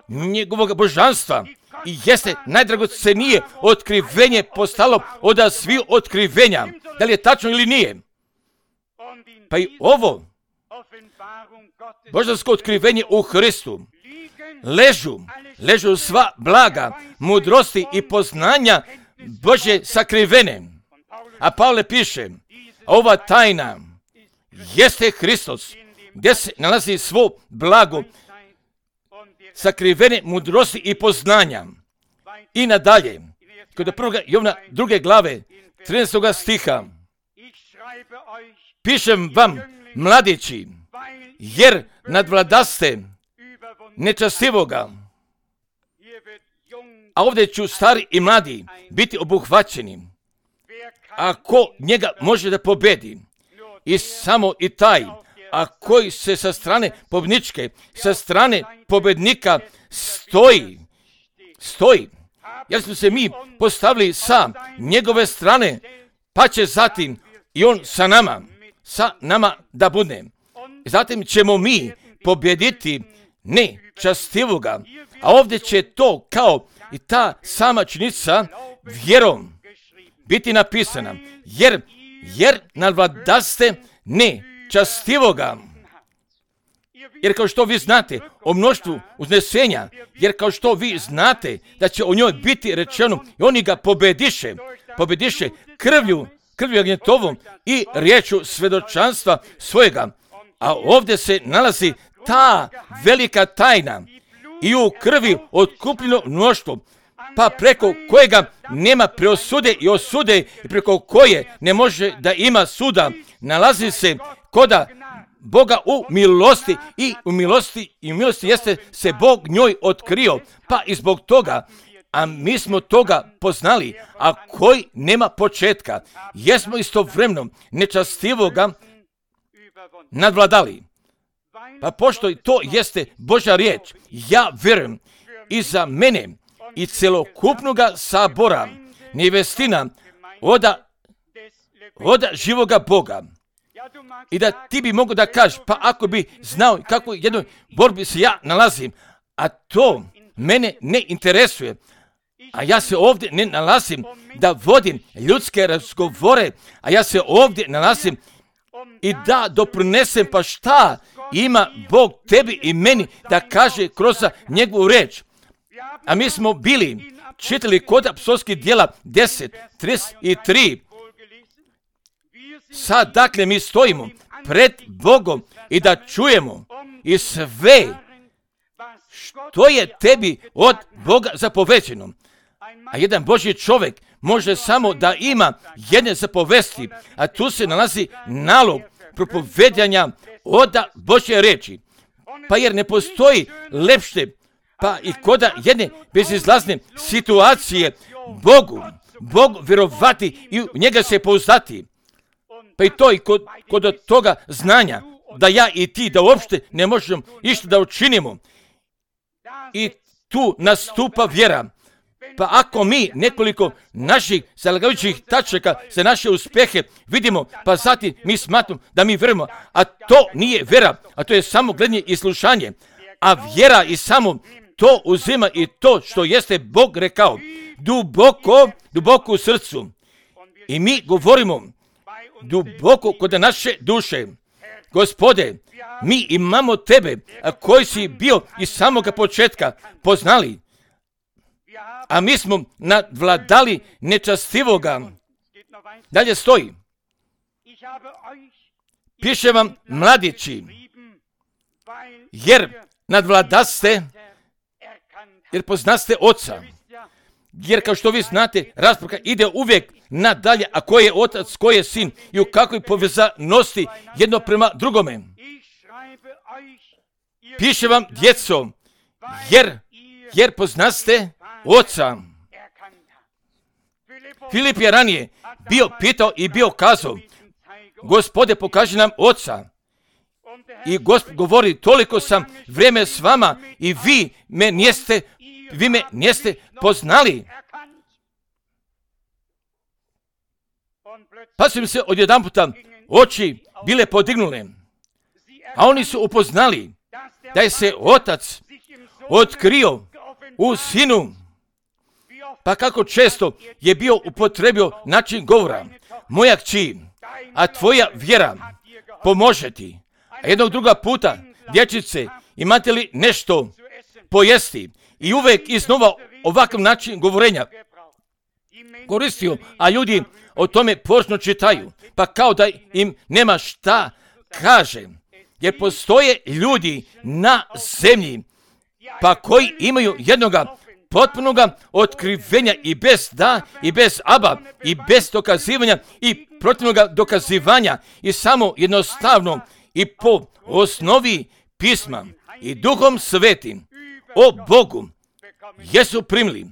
Speaker 1: njegovog božanstva i jeste najdragocenije otkrivenje postalo od svih otkrivenja. Da li je tačno ili nije? Pa i ovo božansko otkrivenje u Hristu ležu, ležu sva blaga, mudrosti i poznanja Božje sakrivene. A Pavle piše, ova tajna jeste Hristos, gdje se nalazi svo blago, sakrivene mudrosti i poznanja. I nadalje, kod prvoga Jovana druge glave, trinaestog stiha, pišem vam, mladići, jer nadvladaste nečastivoga. A ovdje ću stari i mladi biti obuhvaćeni. Ako njega može da pobedi, i samo i taj, a koji se sa strane pobjedničke, sa strane pobjednika stoji, stoji, jer smo se mi postavili sa njegove strane, pa će zatim i on sa nama, sa nama da bude. Zatim ćemo mi pobjediti nečastivoga, a ovdje će to kao i ta sama činjenica vjerom biti napisana, jer, jer nadvladaste nečastivoga. Jer kao što vi znate o mnoštvu uznesenja, jer kao što vi znate da će o njoj biti rečeno i oni ga pobediše, pobediše krvlju, krvlju agnjetovom i riječu svedočanstva svojega. A ovdje se nalazi ta velika tajna i u krvi otkupljeno mnoštvo, pa preko kojega nema preosude i osude i preko koje ne može da ima suda, nalazi se koda Boga u milosti i u milosti i u milosti jeste se Bog njoj otkrio, pa i zbog toga, a mi smo toga poznali, a koji nema početka, jesmo istovremeno nečastivoga nadvladali. Pa pošto to jeste Božja riječ, ja vjerujem i za mene i celokupnoga sabora, nevestina oda, oda živoga Boga. I da ti bi mogo da kažeš, pa ako bi znao kako jednoj borbi se ja nalazim, a to mene ne interesuje, a ja se ovdje ne nalazim da vodim ljudske razgovore, a ja se ovdje nalazim i da doprinesem pa šta ima Bog tebi i meni da kaže kroz njegovu reč. A mi smo bili čitali kod apostolskih djela deset, trideset tri. Sad, dakle, mi stojimo pred Bogom i da čujemo i sve što je tebi od Boga zapovećeno. A jedan Božji čovjek može samo da ima jedne zapovesti, a tu se nalazi nalog propovedanja od Božje reči. Pa jer ne postoji lepše, pa i koda jedne bezizlazne situacije Bogu, Bog vjerovati i u njega se pouzdati. Pa i to i kod, kod toga znanja, da ja i ti, da uopšte ne možemo išta da učinimo. I tu nastupa vjera. Pa ako mi nekoliko naših zalagajućih tačaka za naše uspjehe vidimo, pa zatim mi smatramo da mi vjerujemo, a to nije vjera, a to je samo gledanje i slušanje. A vjera i samo to uzima i to što jeste Bog rekao, duboko, duboko u srcu. I mi govorimo duboko kod naše duše. Gospode, mi imamo tebe, a koji si bio iz samoga početka poznali, a mi smo nadvladali nečastivoga. Dalje stoji. Piše vam, mladići, jer nadvladaste, jer poznaste oca. Jer kao što vi znate, rasprava ide uvijek nadalje, a ko je otac, ko je sin i u kakvoj povezanosti jedno prema drugome. Piše vam, djeco, jer, jer poznaste oca. Filip je ranije bio pitao i bio kazao, Gospode, pokaži nam oca. I Gospod govori, toliko sam vrijeme s vama i vi me niste, vi me niste poznali. Pa su im se odjedan puta oči bile podignule, a oni su upoznali da je se otac otkrio u sinu. Pa kako često je bio upotrebio način govora, moja kći, a tvoja vjera pomože ti. A jednog druga puta, dječice, imate li nešto pojesti? I uvijek iznova ovakav način govorenja koristio, a ljudi o tome površno čitaju, pa kao da im nema šta kaže. Jer postoje ljudi na zemlji, pa koji imaju jednoga potpunoga otkrivenja i bez da, i bez aba, i bez dokazivanja, i protivnoga dokazivanja, i samo jednostavno i po osnovi pisma i Duhom Svetim o Bogu jesu primili.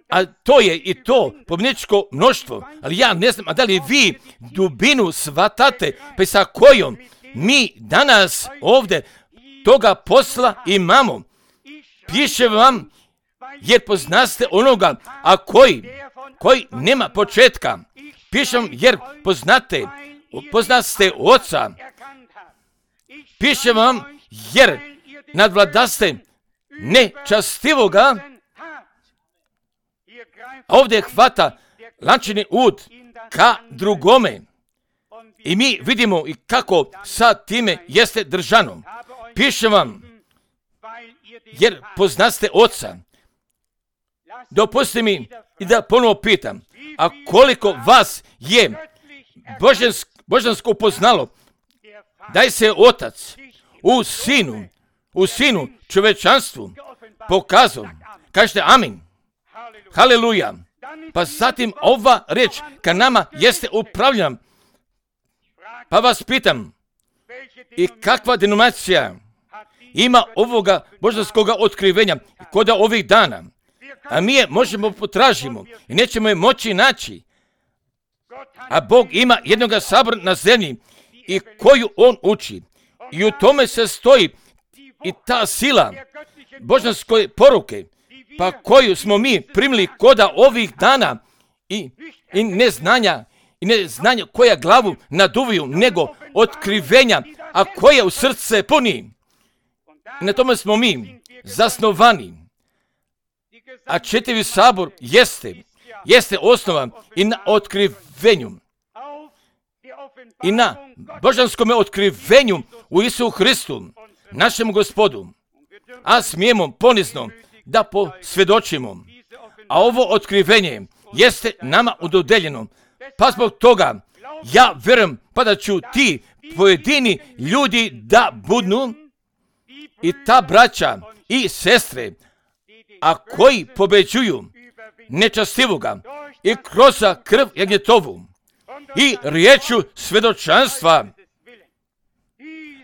Speaker 1: A to je i to pobjedničko mnoštvo, ali ja ne znam, a da li vi dubinu shvatate, pa sa kojom mi danas ovdje toga posla imamo. Piše vam, jer poznaste onoga, a koji, koji nema početka. Piše vam, jer poznate, poznaste oca. Piše vam, jer nadvladaste nečastivoga. Ovdje hvata lančani ud ka drugome. I mi vidimo i kako sa time jeste držano. Piše vam, jer poznaste oca. Dopustite mi i da ponovo pitam, a koliko vas je božansko, božansko upoznalo da je se otac u sinu, u sinu čovečanstvu pokazao. Kažete amin. Haleluja. Pa zatim ova reč ka nama jeste upravljena. Pa vas pitam, i kakva denominacija ima ovoga božanskoga otkrivenja kod ovih dana? A mi je možemo potražimo i nećemo je moći naći. A Bog ima jednoga sabora na zemlji i koju on uči. I u tome se stoji i ta sila božanske poruke, pa koju smo mi primili koda ovih dana i, i neznanja, i neznanja koja glavu naduviju, nego otkrivenja, a koje u srce puni. I na tome smo mi zasnovani. A četiri sabor jeste, jeste osnovan i na otkrivenju. I na božanskom otkrivenju u Isusu Hristu, našem Gospodu. A smijemo ponizno da posvjedočimo. A ovo otkrivenje jeste nama udodeljeno. Pa zbog toga ja vjerujem pa da ću ti pojedini ljudi da budu i ta braća i sestre, a koji pobeđuju nečastivoga i kroz krv jagnjetovu i riječu svjedočanstva.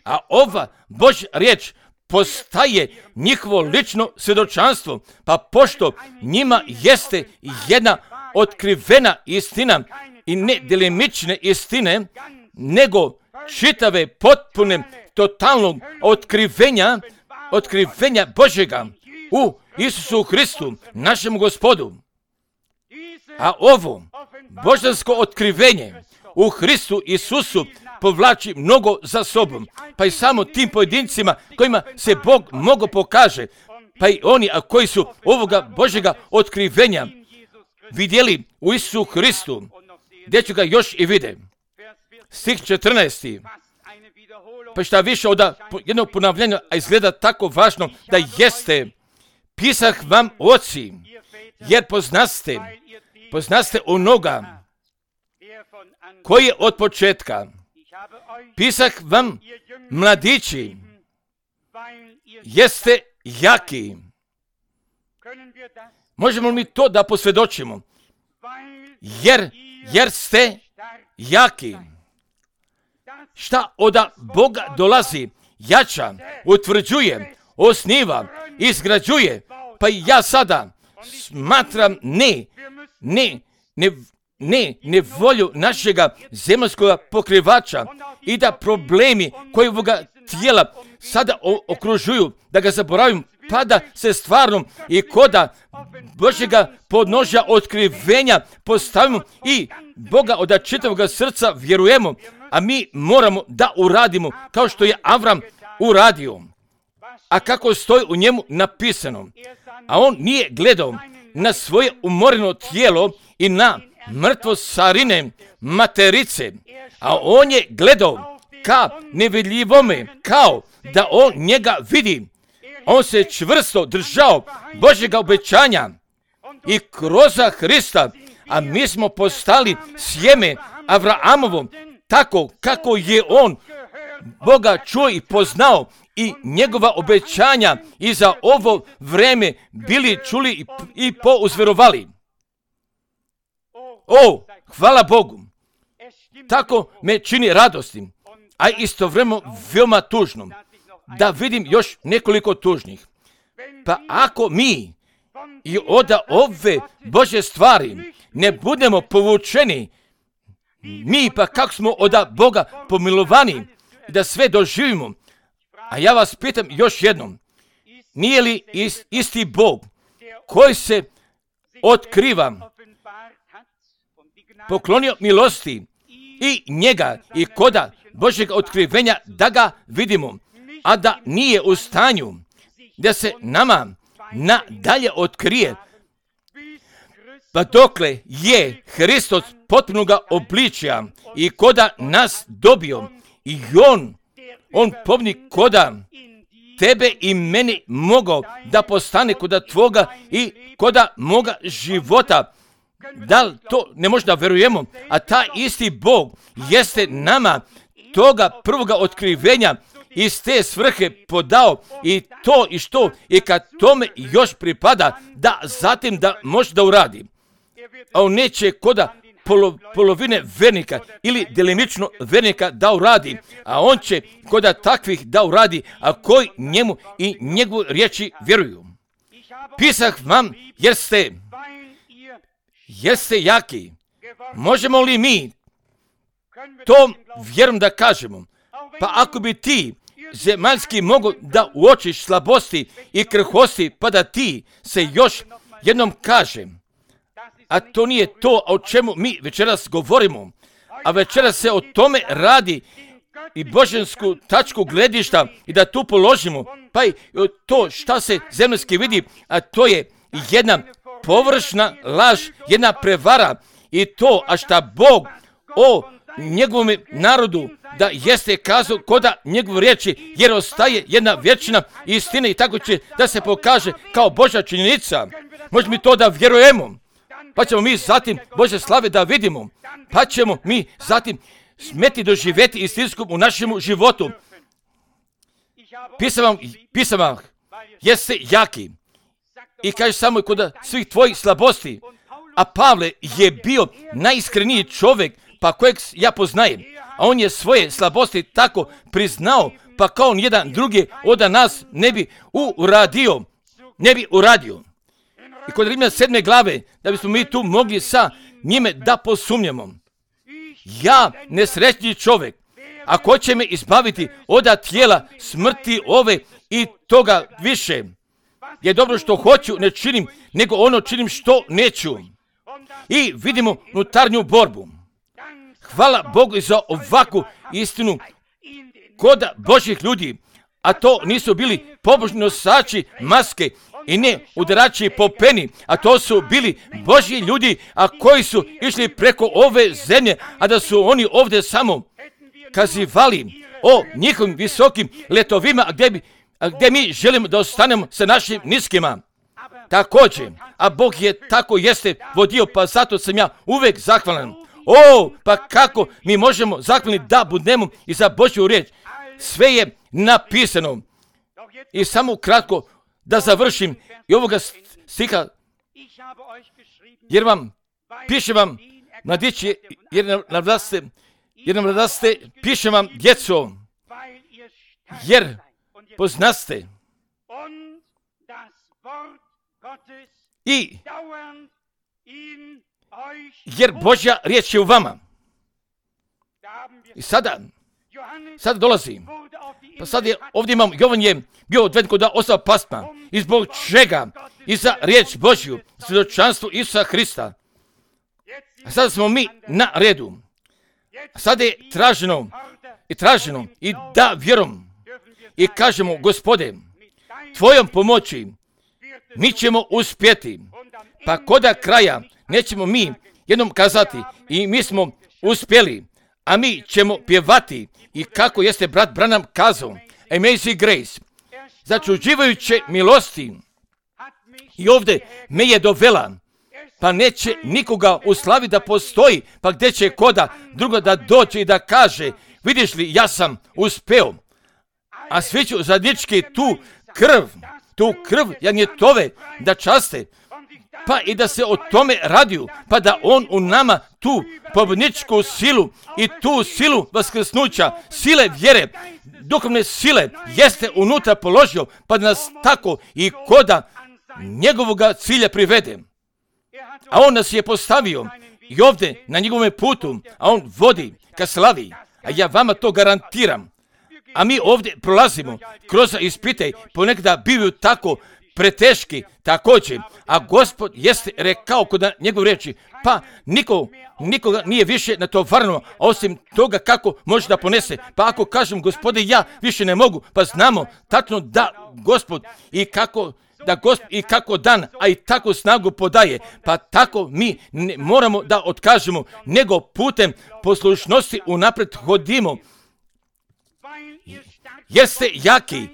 Speaker 1: A ova Božja riječ postaje njihovo lično svjedočanstvo, pa pošto njima jeste jedna otkrivena istina i ne delimične istine, nego čitave, potpune, totalnog otkrivenja, otkrivenja Božjega u Isusu Hristu, našem Gospodu. A ovo božansko otkrivenje u Hristu Isusu povlači mnogo za sobom, pa i samo tim pojedincima kojima se Bog mnogo pokaže, pa i oni a koji su ovoga Božjega otkrivenja vidjeli u Isusu Hristu, gdje ću ga još i vide. Stih četrnaesti. Pa šta više od jednog ponavljanja, a izgleda tako važno da jeste, pisah vam oci, jer poznaste, poznaste onoga koji je od početka. Pisah vam mladići, jeste jaki. Možemo li mi to da posvjedočimo? Jer, jer ste jaki. Šta od Boga dolazi, jača, utvrđuje, osniva, izgrađuje, pa i ja sada smatram ne, ne, ne, ne, ne volju našega zemaljskog pokrivača i da problemi koji ovoga tijela sada okružuju, da ga zaboravim, pa da se stvarno i koda Božjega podnožja otkrivenja postavimo i Boga od čitavog srca vjerujemo, a mi moramo da uradimo kao što je Avram uradio. A kako stoji u njemu napisano, a on nije gledao na svoje umoreno tijelo i na mrtvo sarine materice, a on je gledao ka nevidljivome, kao da on njega vidi. On se čvrsto držao Božjega obećanja i kroz Hrista, a mi smo postali sjeme Avrahamovo, tako kako je on Boga čuo i poznao i njegova obećanja i za ovo vreme bili čuli i, i pouzverovali. O, hvala Bogu! Tako me čini radostim, a istovremeno veoma tužnom, da vidim još nekoliko tužnih. Pa ako mi i od ove Božje stvari ne budemo povučeni, mi pa kako smo od Boga pomilovani da sve doživimo, a ja vas pitam još jednom, nije li isti Bog koji se otkriva, poklonio milosti i njega i koda Božjeg otkrivenja da ga vidimo, a da nije u stanju da se nama nadalje otkrije, pa dokle je Hristos potpunoga obličja i koda nas dobio i on, on povnik koda tebe i meni mogao da postane koda tvoga i koda moga života. Da li to ne možda verujemo? A ta isti Bog jeste nama toga prvoga otkrivenja iz te svrhe podao i to i što i kad tome još pripada da zatim da može da uradi. A on neće koda polo, polovine vernika ili delimično vernika da uradi, a on će koda takvih da uradi, a koji njemu i njegovu riječi vjeruju. Pisah vam jer ste, jer ste jaki. Možemo li mi to vjerom da kažemo? Pa ako bi ti zemaljski mogu da uočiš slabosti i krhosti, pa da ti se još jednom kažem, a to nije to o čemu mi večeras govorimo, a večeras se o tome radi i božansku tačku gledišta i da tu položimo, pa i to šta se zemaljski vidi, a to je jedna površna laž, jedna prevara i to, a šta Bog o njegovom narodu da jeste kazao koda njegov riječi, jer ostaje jedna vječna istina i tako će da se pokaže kao Božja činjenica. Možemo mi to da vjerujemo, pa ćemo mi zatim Božje slave da vidimo, pa ćemo mi zatim smeti doživjeti istinskom u našem životu. Pisam vam, pisam vam, jeste jaki i kaže samo kod svih tvojih slabosti, a Pavle je bio najiskreniji čovjek pa kojeg ja poznajem, a on je svoje slabosti tako priznao, pa kao on jedan drugi od nas ne bi uradio, ne bi uradio. I kod Rimljana sedme glave, da bismo mi tu mogli sa njime da posumnjamo. Ja, nesrećni čovjek, ako će me izbaviti od tijela smrti ove i toga više, je dobro što hoću ne činim, nego ono činim što neću. I vidimo unutarnju borbu. Hvala Bogu za ovakvu istinu kod Božjih ljudi, a to nisu bili pobožni nosači maske i ne udarači po peni, a to su bili Božji ljudi, a koji su išli preko ove zemlje, a da su oni ovdje samo kazivali o njihovim visokim letovima, a gdje, bi, a gdje mi želimo da ostanemo sa našim niskima. Također, a Bog je tako jeste vodio, pa zato sam ja uvijek zahvalan. O, pa kako mi možemo zahvalni da budemo i za Božju riječ. Sve je napisano. I samo kratko da završim i ovoga stiha, jer vam, pišem vam, mladići, jer navlaste, jer navlaste, pišem vam, djeco, jer poznaste i jer Božja riječ je u vama. I sada, sada dolazi. Pa sad je, ovdje imam, Jovan je bio odveden kod osam pasma. I zbog čega? I za riječ Božju, svjedočanstvo Isusa Hrista. A sada smo mi na redu. A sada je traženo, i traženo, i da vjerom. I kažemo, Gospode, tvojom pomoći mi ćemo uspjeti. Pa koda kraja nećemo mi jednom kazati i mi smo uspjeli, a mi ćemo pjevati i kako jeste brat Branham kazao, Amazing Grace, začuđivajuće milosti. I ovdje me je dovela, pa neće nikoga u slavi da postoji, pa gdje će koda drugo da dođe i da kaže, vidiš li, ja sam uspeo, a svi ću zadnički tu krv, tu krv janjetove da časte, pa i da se o tome radiju, pa da on u nama tu pobjedničku silu i tu silu vaskrsnuća, sile vjere, duhovne sile jeste unutra položio, pa da nas tako i koda njegovoga cilja privede. A on nas je postavio i ovdje na njegovom putu, a on vodi ka slavi, a ja vama to garantiram. A mi ovdje prolazimo kroz ispite, ponekada bivaju tako preteški također, a Gospod jeste rekao kod njegov riječi, pa niko, nikoga nije više na to varno, osim toga kako može da ponese. Pa ako kažem, Gospode, ja više ne mogu, pa znamo tačno da Gospod i kako da Gospod i kako dan, a i tako snagu podaje, pa tako mi ne moramo da otkažemo, nego putem poslušnosti unaprijed hodimo. Jeste jaki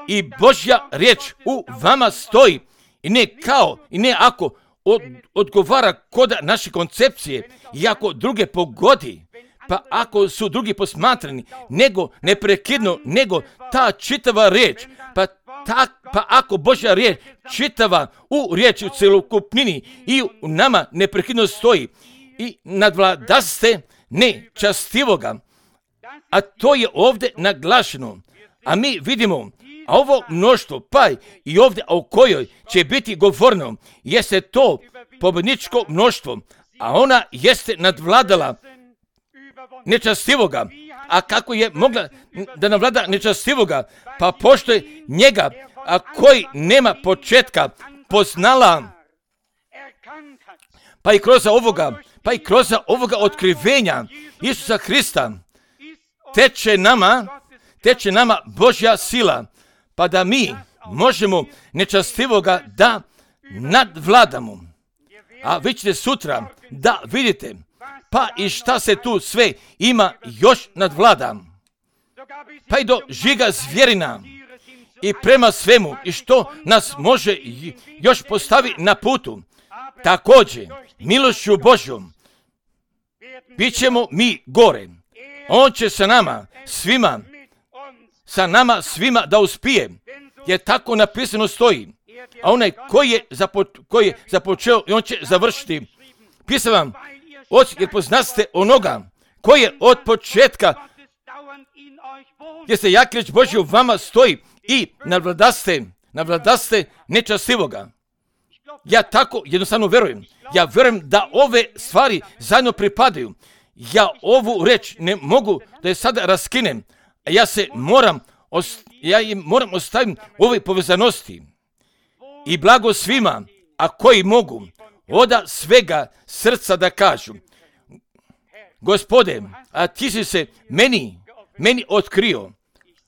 Speaker 1: i Božja riječ u vama stoji i ne kao i ne ako od, odgovara kod naše koncepcije i ako druge pogodi, pa ako su drugi posmatrani, nego neprekidno, nego ta čitava riječ, pa, ta, pa ako Božja riječ čitava u riječi u celokupnini i u nama neprekidno stoji i nadvladaste nečastivoga, a to je ovdje naglašeno. A mi vidimo, a ovo mnoštvo, pa i ovdje o kojoj će biti govorno, jeste to pobjedničko mnoštvo, a ona jeste nadvladala nečastivoga. A kako je mogla da nadvlada nečastivoga? Pa pošto je njega, a koji nema početka, poznala, pa i kroz ovoga, pa i kroz ovoga otkrivenja Isusa Hrista, teče nama, teče nama Božja sila, pa da mi možemo nečastivoga da nadvladamo. A vi ćete sutra da vidite Pa i šta se tu sve ima još nadvlada? Pa i do žiga zvjerina i prema svemu i što nas može još postavi na putu. Također, milošću Božjom, bit ćemo mi gore. On će sa nama svima, sa nama svima da uspije, jer tako napisano stoji. A onaj koji je, zapo, koji je započeo i on će završiti. Pisam vam, oči, jer poznaste onoga koji je od početka, jer se jak riječ Božja u vama stoji i navladaste, navladaste nečastivoga. Ja tako jednostavno verujem. Ja verujem da ove stvari zajedno pripadaju. Ja ovu reč ne mogu da je sada raskinem. Ja se moram, ja im moram ostaviti ove povezanosti. I blago svima, a koji mogu, oda svega srca da kažu. Gospode, a ti si se meni, meni otkrio.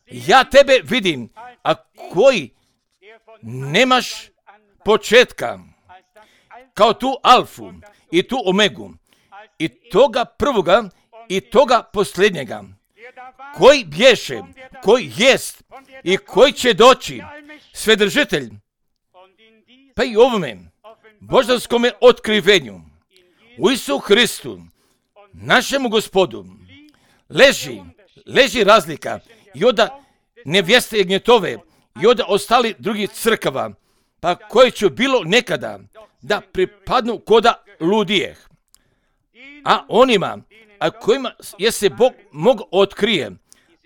Speaker 1: Ja tebe vidim, a koji nemaš početka, kao tu alfu i tu omegu, i toga prvoga i toga posljednjega, koji bješe, koji jest i koji će doći, svedržitelj. Pa i ovome božanskome otkrivenju u Isu Hristu, našemu Gospodu, leži, leži razlika i od nevjeste Jagnjetove i od ostali drugih crkava, pa koje će bilo nekada da pripadnu koda ludijeh. A onima, a kojima je se Bog mog otkrije,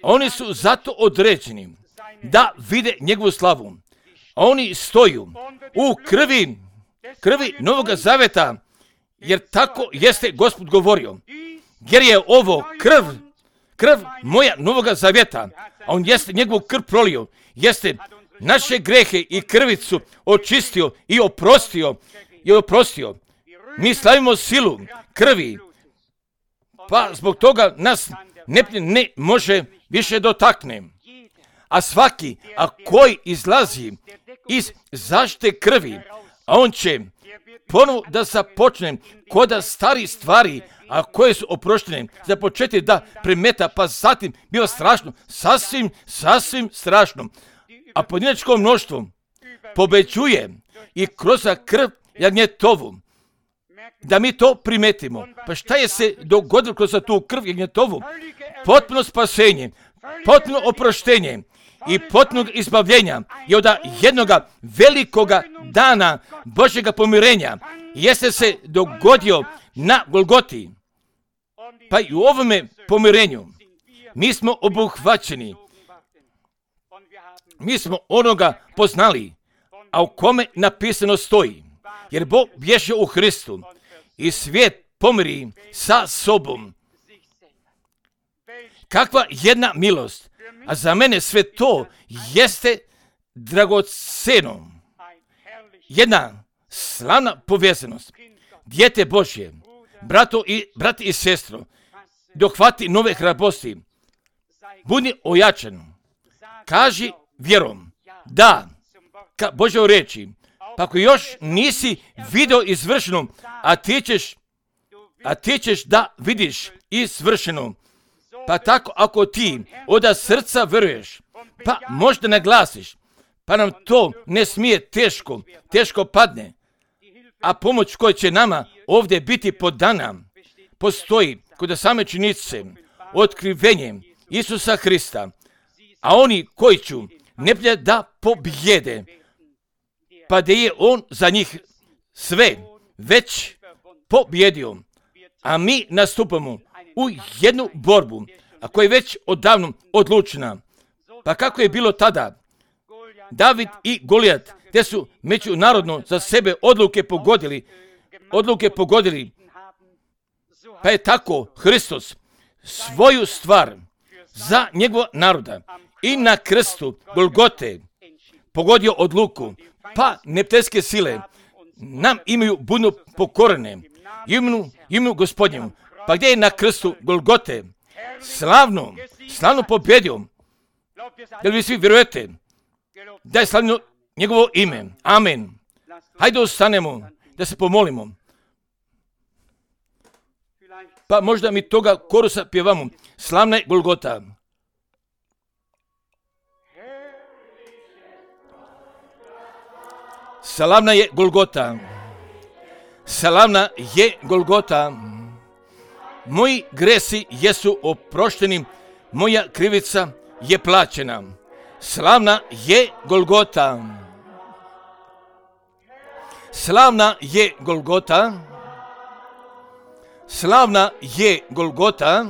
Speaker 1: oni su zato određeni da vide njegovu slavu. Oni stoju u krvi, krvi Novoga Zaveta, jer tako jeste Gospod govorio. Jer je ovo krv, krv moja Novoga Zaveta, a on jeste njegovu krv prolio, jeste naše grehe i krvicu očistio i oprostio, i oprostio. Mi slavimo silu krvi, pa zbog toga nas ne, ne može više dotakne. A svaki, a koji izlazi iz zaštite krvi, a on će ponovo da započne koda stari stvari, a koje su oproštene, započeti da primeta, pa zatim biva strašno, sasvim, sasvim strašno. A pojedinačko mnoštvo pobećuje i kroz krv Jagnjetovu, da mi to primetimo. Pa šta je se dogodilo kroz tu krv Jagnjetovu? Potpuno spasenje, potpuno oproštenje i potpunog izbavljenja je od jednoga velikoga dana Božjega pomirenja jeste se dogodio na Golgoti. Pa i u ovome pomirenju mi smo obuhvaćeni. Mi smo onoga poznali, a u kome napisano stoji. Jer Bog bježe u Hristu i svijet pomiri sa sobom. Kakva jedna milost, a za mene sve to jeste dragoceno. Jedna slavna povezanost. Dijete Božje, brato i, brat i sestro, dohvati nove hrabrosti. Budi ojačan. Kaži vjerom, da, ka Božjoj reči. Pa ako još nisi video izvršeno, a ti ćeš, a ti ćeš da vidiš izvršeno. Pa tako ako ti od srca veruješ, pa možda naglasiš, pa nam to ne smije teško, teško padne. A pomoć koja će nama ovdje biti podana, postoji kod same činjenice, otkrivenjem Isusa Hrista. A oni koji će neprijatelja da pobjede, pa da je on za njih sve već pobjedio. A mi nastupamo u jednu borbu, a koja je već odavno odlučena. Pa kako je bilo tada? David i Golijat, te su međunarodno za sebe odluke pogodili, odluke pogodili. Pa je tako Hristos svoju stvar za njegova naroda i na krstu Golgote pogodio odluku. Pa neprijateljske sile nam imaju budno pokorene, imenu, imenu Gospodnjemu. Pa gdje je na krstu Golgote slavno, slavno pobjedio? Jel vi svi vjerujete da je slavno njegovo ime? Amen. Hajde ostanemo da se pomolimo. Pa možda mi toga korusa pjevamo. Slavna je Golgota. Slavna je Golgota. Slavna je Golgota. Moji gresi jesu oprošteni, moja krivica je plaćena. Slavna je Golgota. Slavna je Golgota. Slavna je Golgota.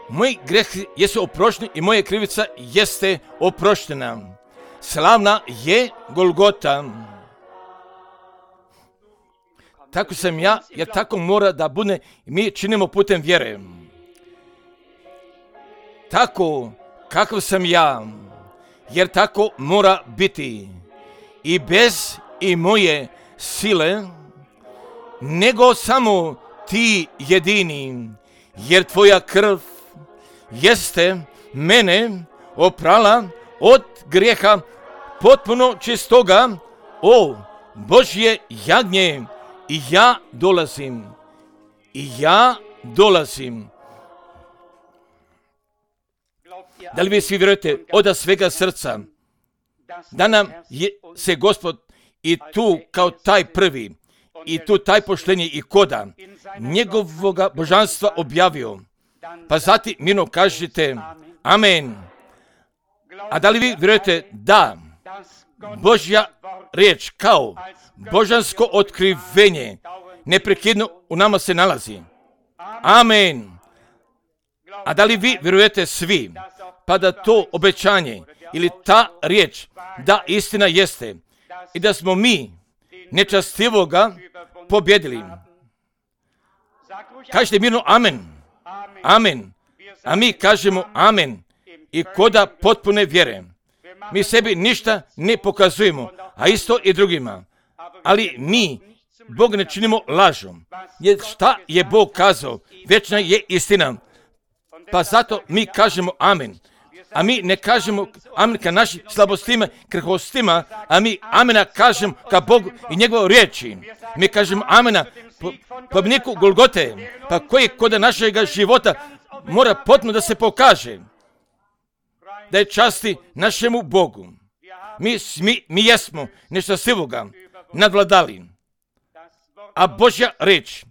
Speaker 1: Moji gresi jesu oprošteni i moja krivica jeste oproštena. Slavna je Golgota. Tako sam ja, jer tako mora da bude i mi činimo putem vjere. Tako kakav sam ja, jer tako mora biti. I bez i moje sile, nego samo ti jedini, jer tvoja krv jeste mene oprala od grijeha potpuno čistoga, o Božje jagnje. I ja dolazim, i ja dolazim. Da li vi svi vjerujete od svega srca da nam je se Gospod i tu kao taj prvi, i tu taj poštenje i koda njegovoga božanstva objavio? Pa zatim mirno kažete amen. A da li vi vjerujete da Božja riječ kao božansko otkrivenje neprekidno u nama se nalazi? Amen. A da li vi vjerujete svi, pa da to obećanje ili ta riječ, da istina jeste i da smo mi nečastivoga pobjedili? Kažete mirno amen. Amen. A mi kažemo amen i koda potpune vjere. Mi sebi ništa ne pokazujemo, a isto i drugima. Ali mi Bog ne činimo lažom. Jer šta je Bog kazao? Večna je istina. Pa zato mi kažemo amen. A mi ne kažemo amen ka našim slabostima, krhostima, a mi amena kažemo ka Bogu i njegovoj riječi. Mi kažemo amena po pobjedniku Golgote, pa koji kod našega života mora potpuno da se pokaže. Da je časti našemu Bogu. Mi, mi, mi jesmo nešto sivoga nadvladali. A Božja riječ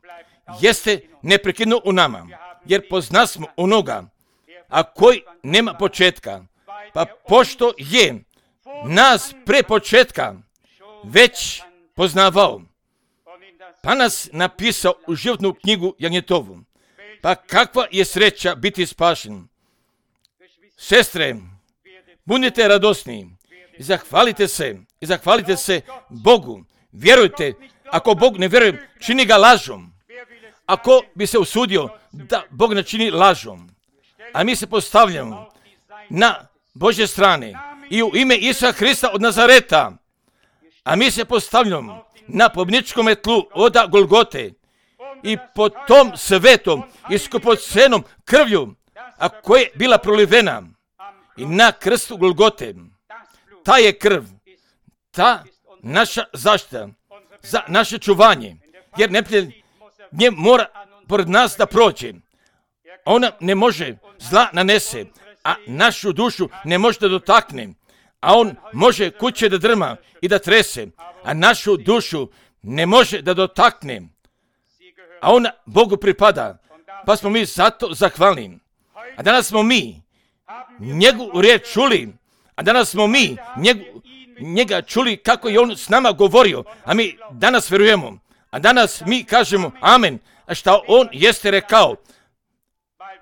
Speaker 1: jeste neprekidno u nama. Jer poznasmo onoga, a koji nema početka. Pa pošto je nas pre početka već poznavao, pa nas napisao u životnu knjigu Jagnjetovu. Pa kakva je sreća biti spašen. Sestre, budite radosni i zahvalite se, i zahvalite se Bogu. Vjerujte, ako Bog ne vjeruje, čini ga lažom. Ako bi se usudio da Bog ne čini lažom, a mi se postavljamo na Božje strane i u ime Isusa Hrista od Nazareta, a mi se postavljamo na pobjedničkom tlu od Golgote i po tom svetom i skupocenom krvlju, a koja je bila prolivena i na krstu Golgote, ta je krv, ta naša zaštita za naše čuvanje, jer neprijatelj nje mora pored nas da prođe. Ona ne može zla nanese, a našu dušu ne može da dotakne, a on može kuće da drma i da trese, a našu dušu ne može da dotakne, a ona Bogu pripada, pa smo mi zato zahvalni. A danas smo mi njegovu riječ čuli, a danas smo mi njegu, njega čuli kako je on s nama govorio, a mi danas vjerujemo, a danas mi kažemo amen, a šta on jeste rekao,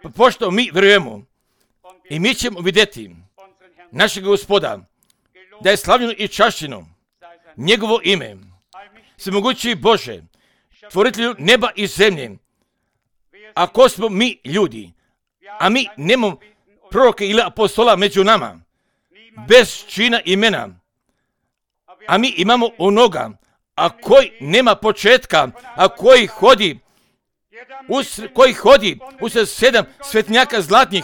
Speaker 1: pa pošto mi vjerujemo i mi ćemo vidjeti našeg Gospoda, da je slavljeno i čašćeno njegovo ime. Svemogući Bože, tvoritelju neba i zemlje, ako smo mi ljudi, a mi nemamo proroke ili apostola među nama, bez čina imena, a mi imamo onoga, a koji nema početka, a koji hodi, us, koji hodi usred sedam svetnjaka zlatnih,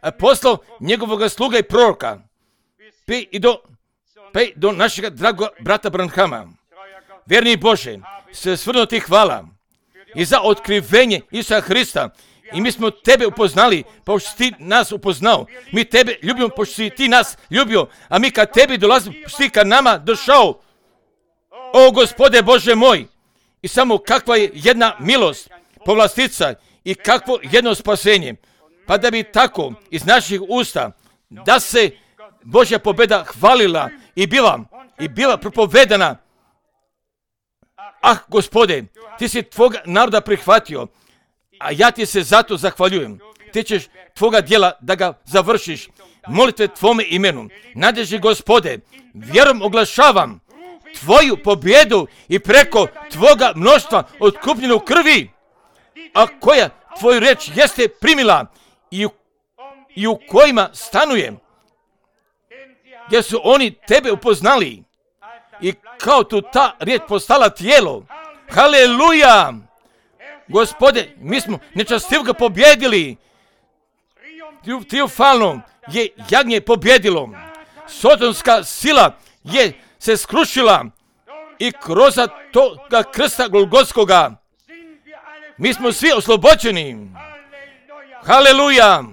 Speaker 1: a poslao njegovog sluga i proroka, pa i do, pa i do našega dragog brata Branhama. Vjerni Bože, sve svrno ti hvala i za otkrivenje Isusa Hrista. I mi smo tebe upoznali, pošto si ti nas upoznao. Mi tebe ljubimo, pošto si ti nas ljubio. A mi kad tebi dolazimo, si ka nama došao. O Gospode Bože moj! I samo kakva je jedna milost, povlastica i kakvo jedno spasenje. Pa da bi tako iz naših usta, da se Božja pobjeda hvalila i bila, i bila propovedana. Ah, Gospode, ti si tvoga naroda prihvatio, a ja ti se zato zahvaljujem. Ti ćeš tvoga djela da ga završiš. Molite tvome imenu. Nadeži Gospode, vjerom oglašavam tvoju pobjedu i preko tvoga mnoštva otkupljenu krvi, a koja tvoju reč jeste primila i u, i u kojima stanuje, gdje su oni tebe upoznali i kao tu ta riječ postala tijelo. Haleluja! Gospode, mi smo nečastivoga pobjedili. Triumfalno je jagnje pobjedilo. Sotonska sila je se skrušila i kroz toga krsta Golgotskoga mi smo svi oslobođeni. Haleluja!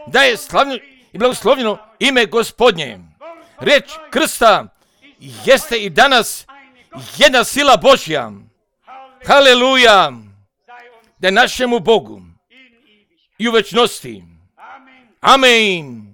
Speaker 1: Da je slavno i blagoslovljeno ime Gospodnje. Riječ krsta jeste i danas jedna sila Božja. Haleluja! Da je našemu Bogu i u večnosti. Amen.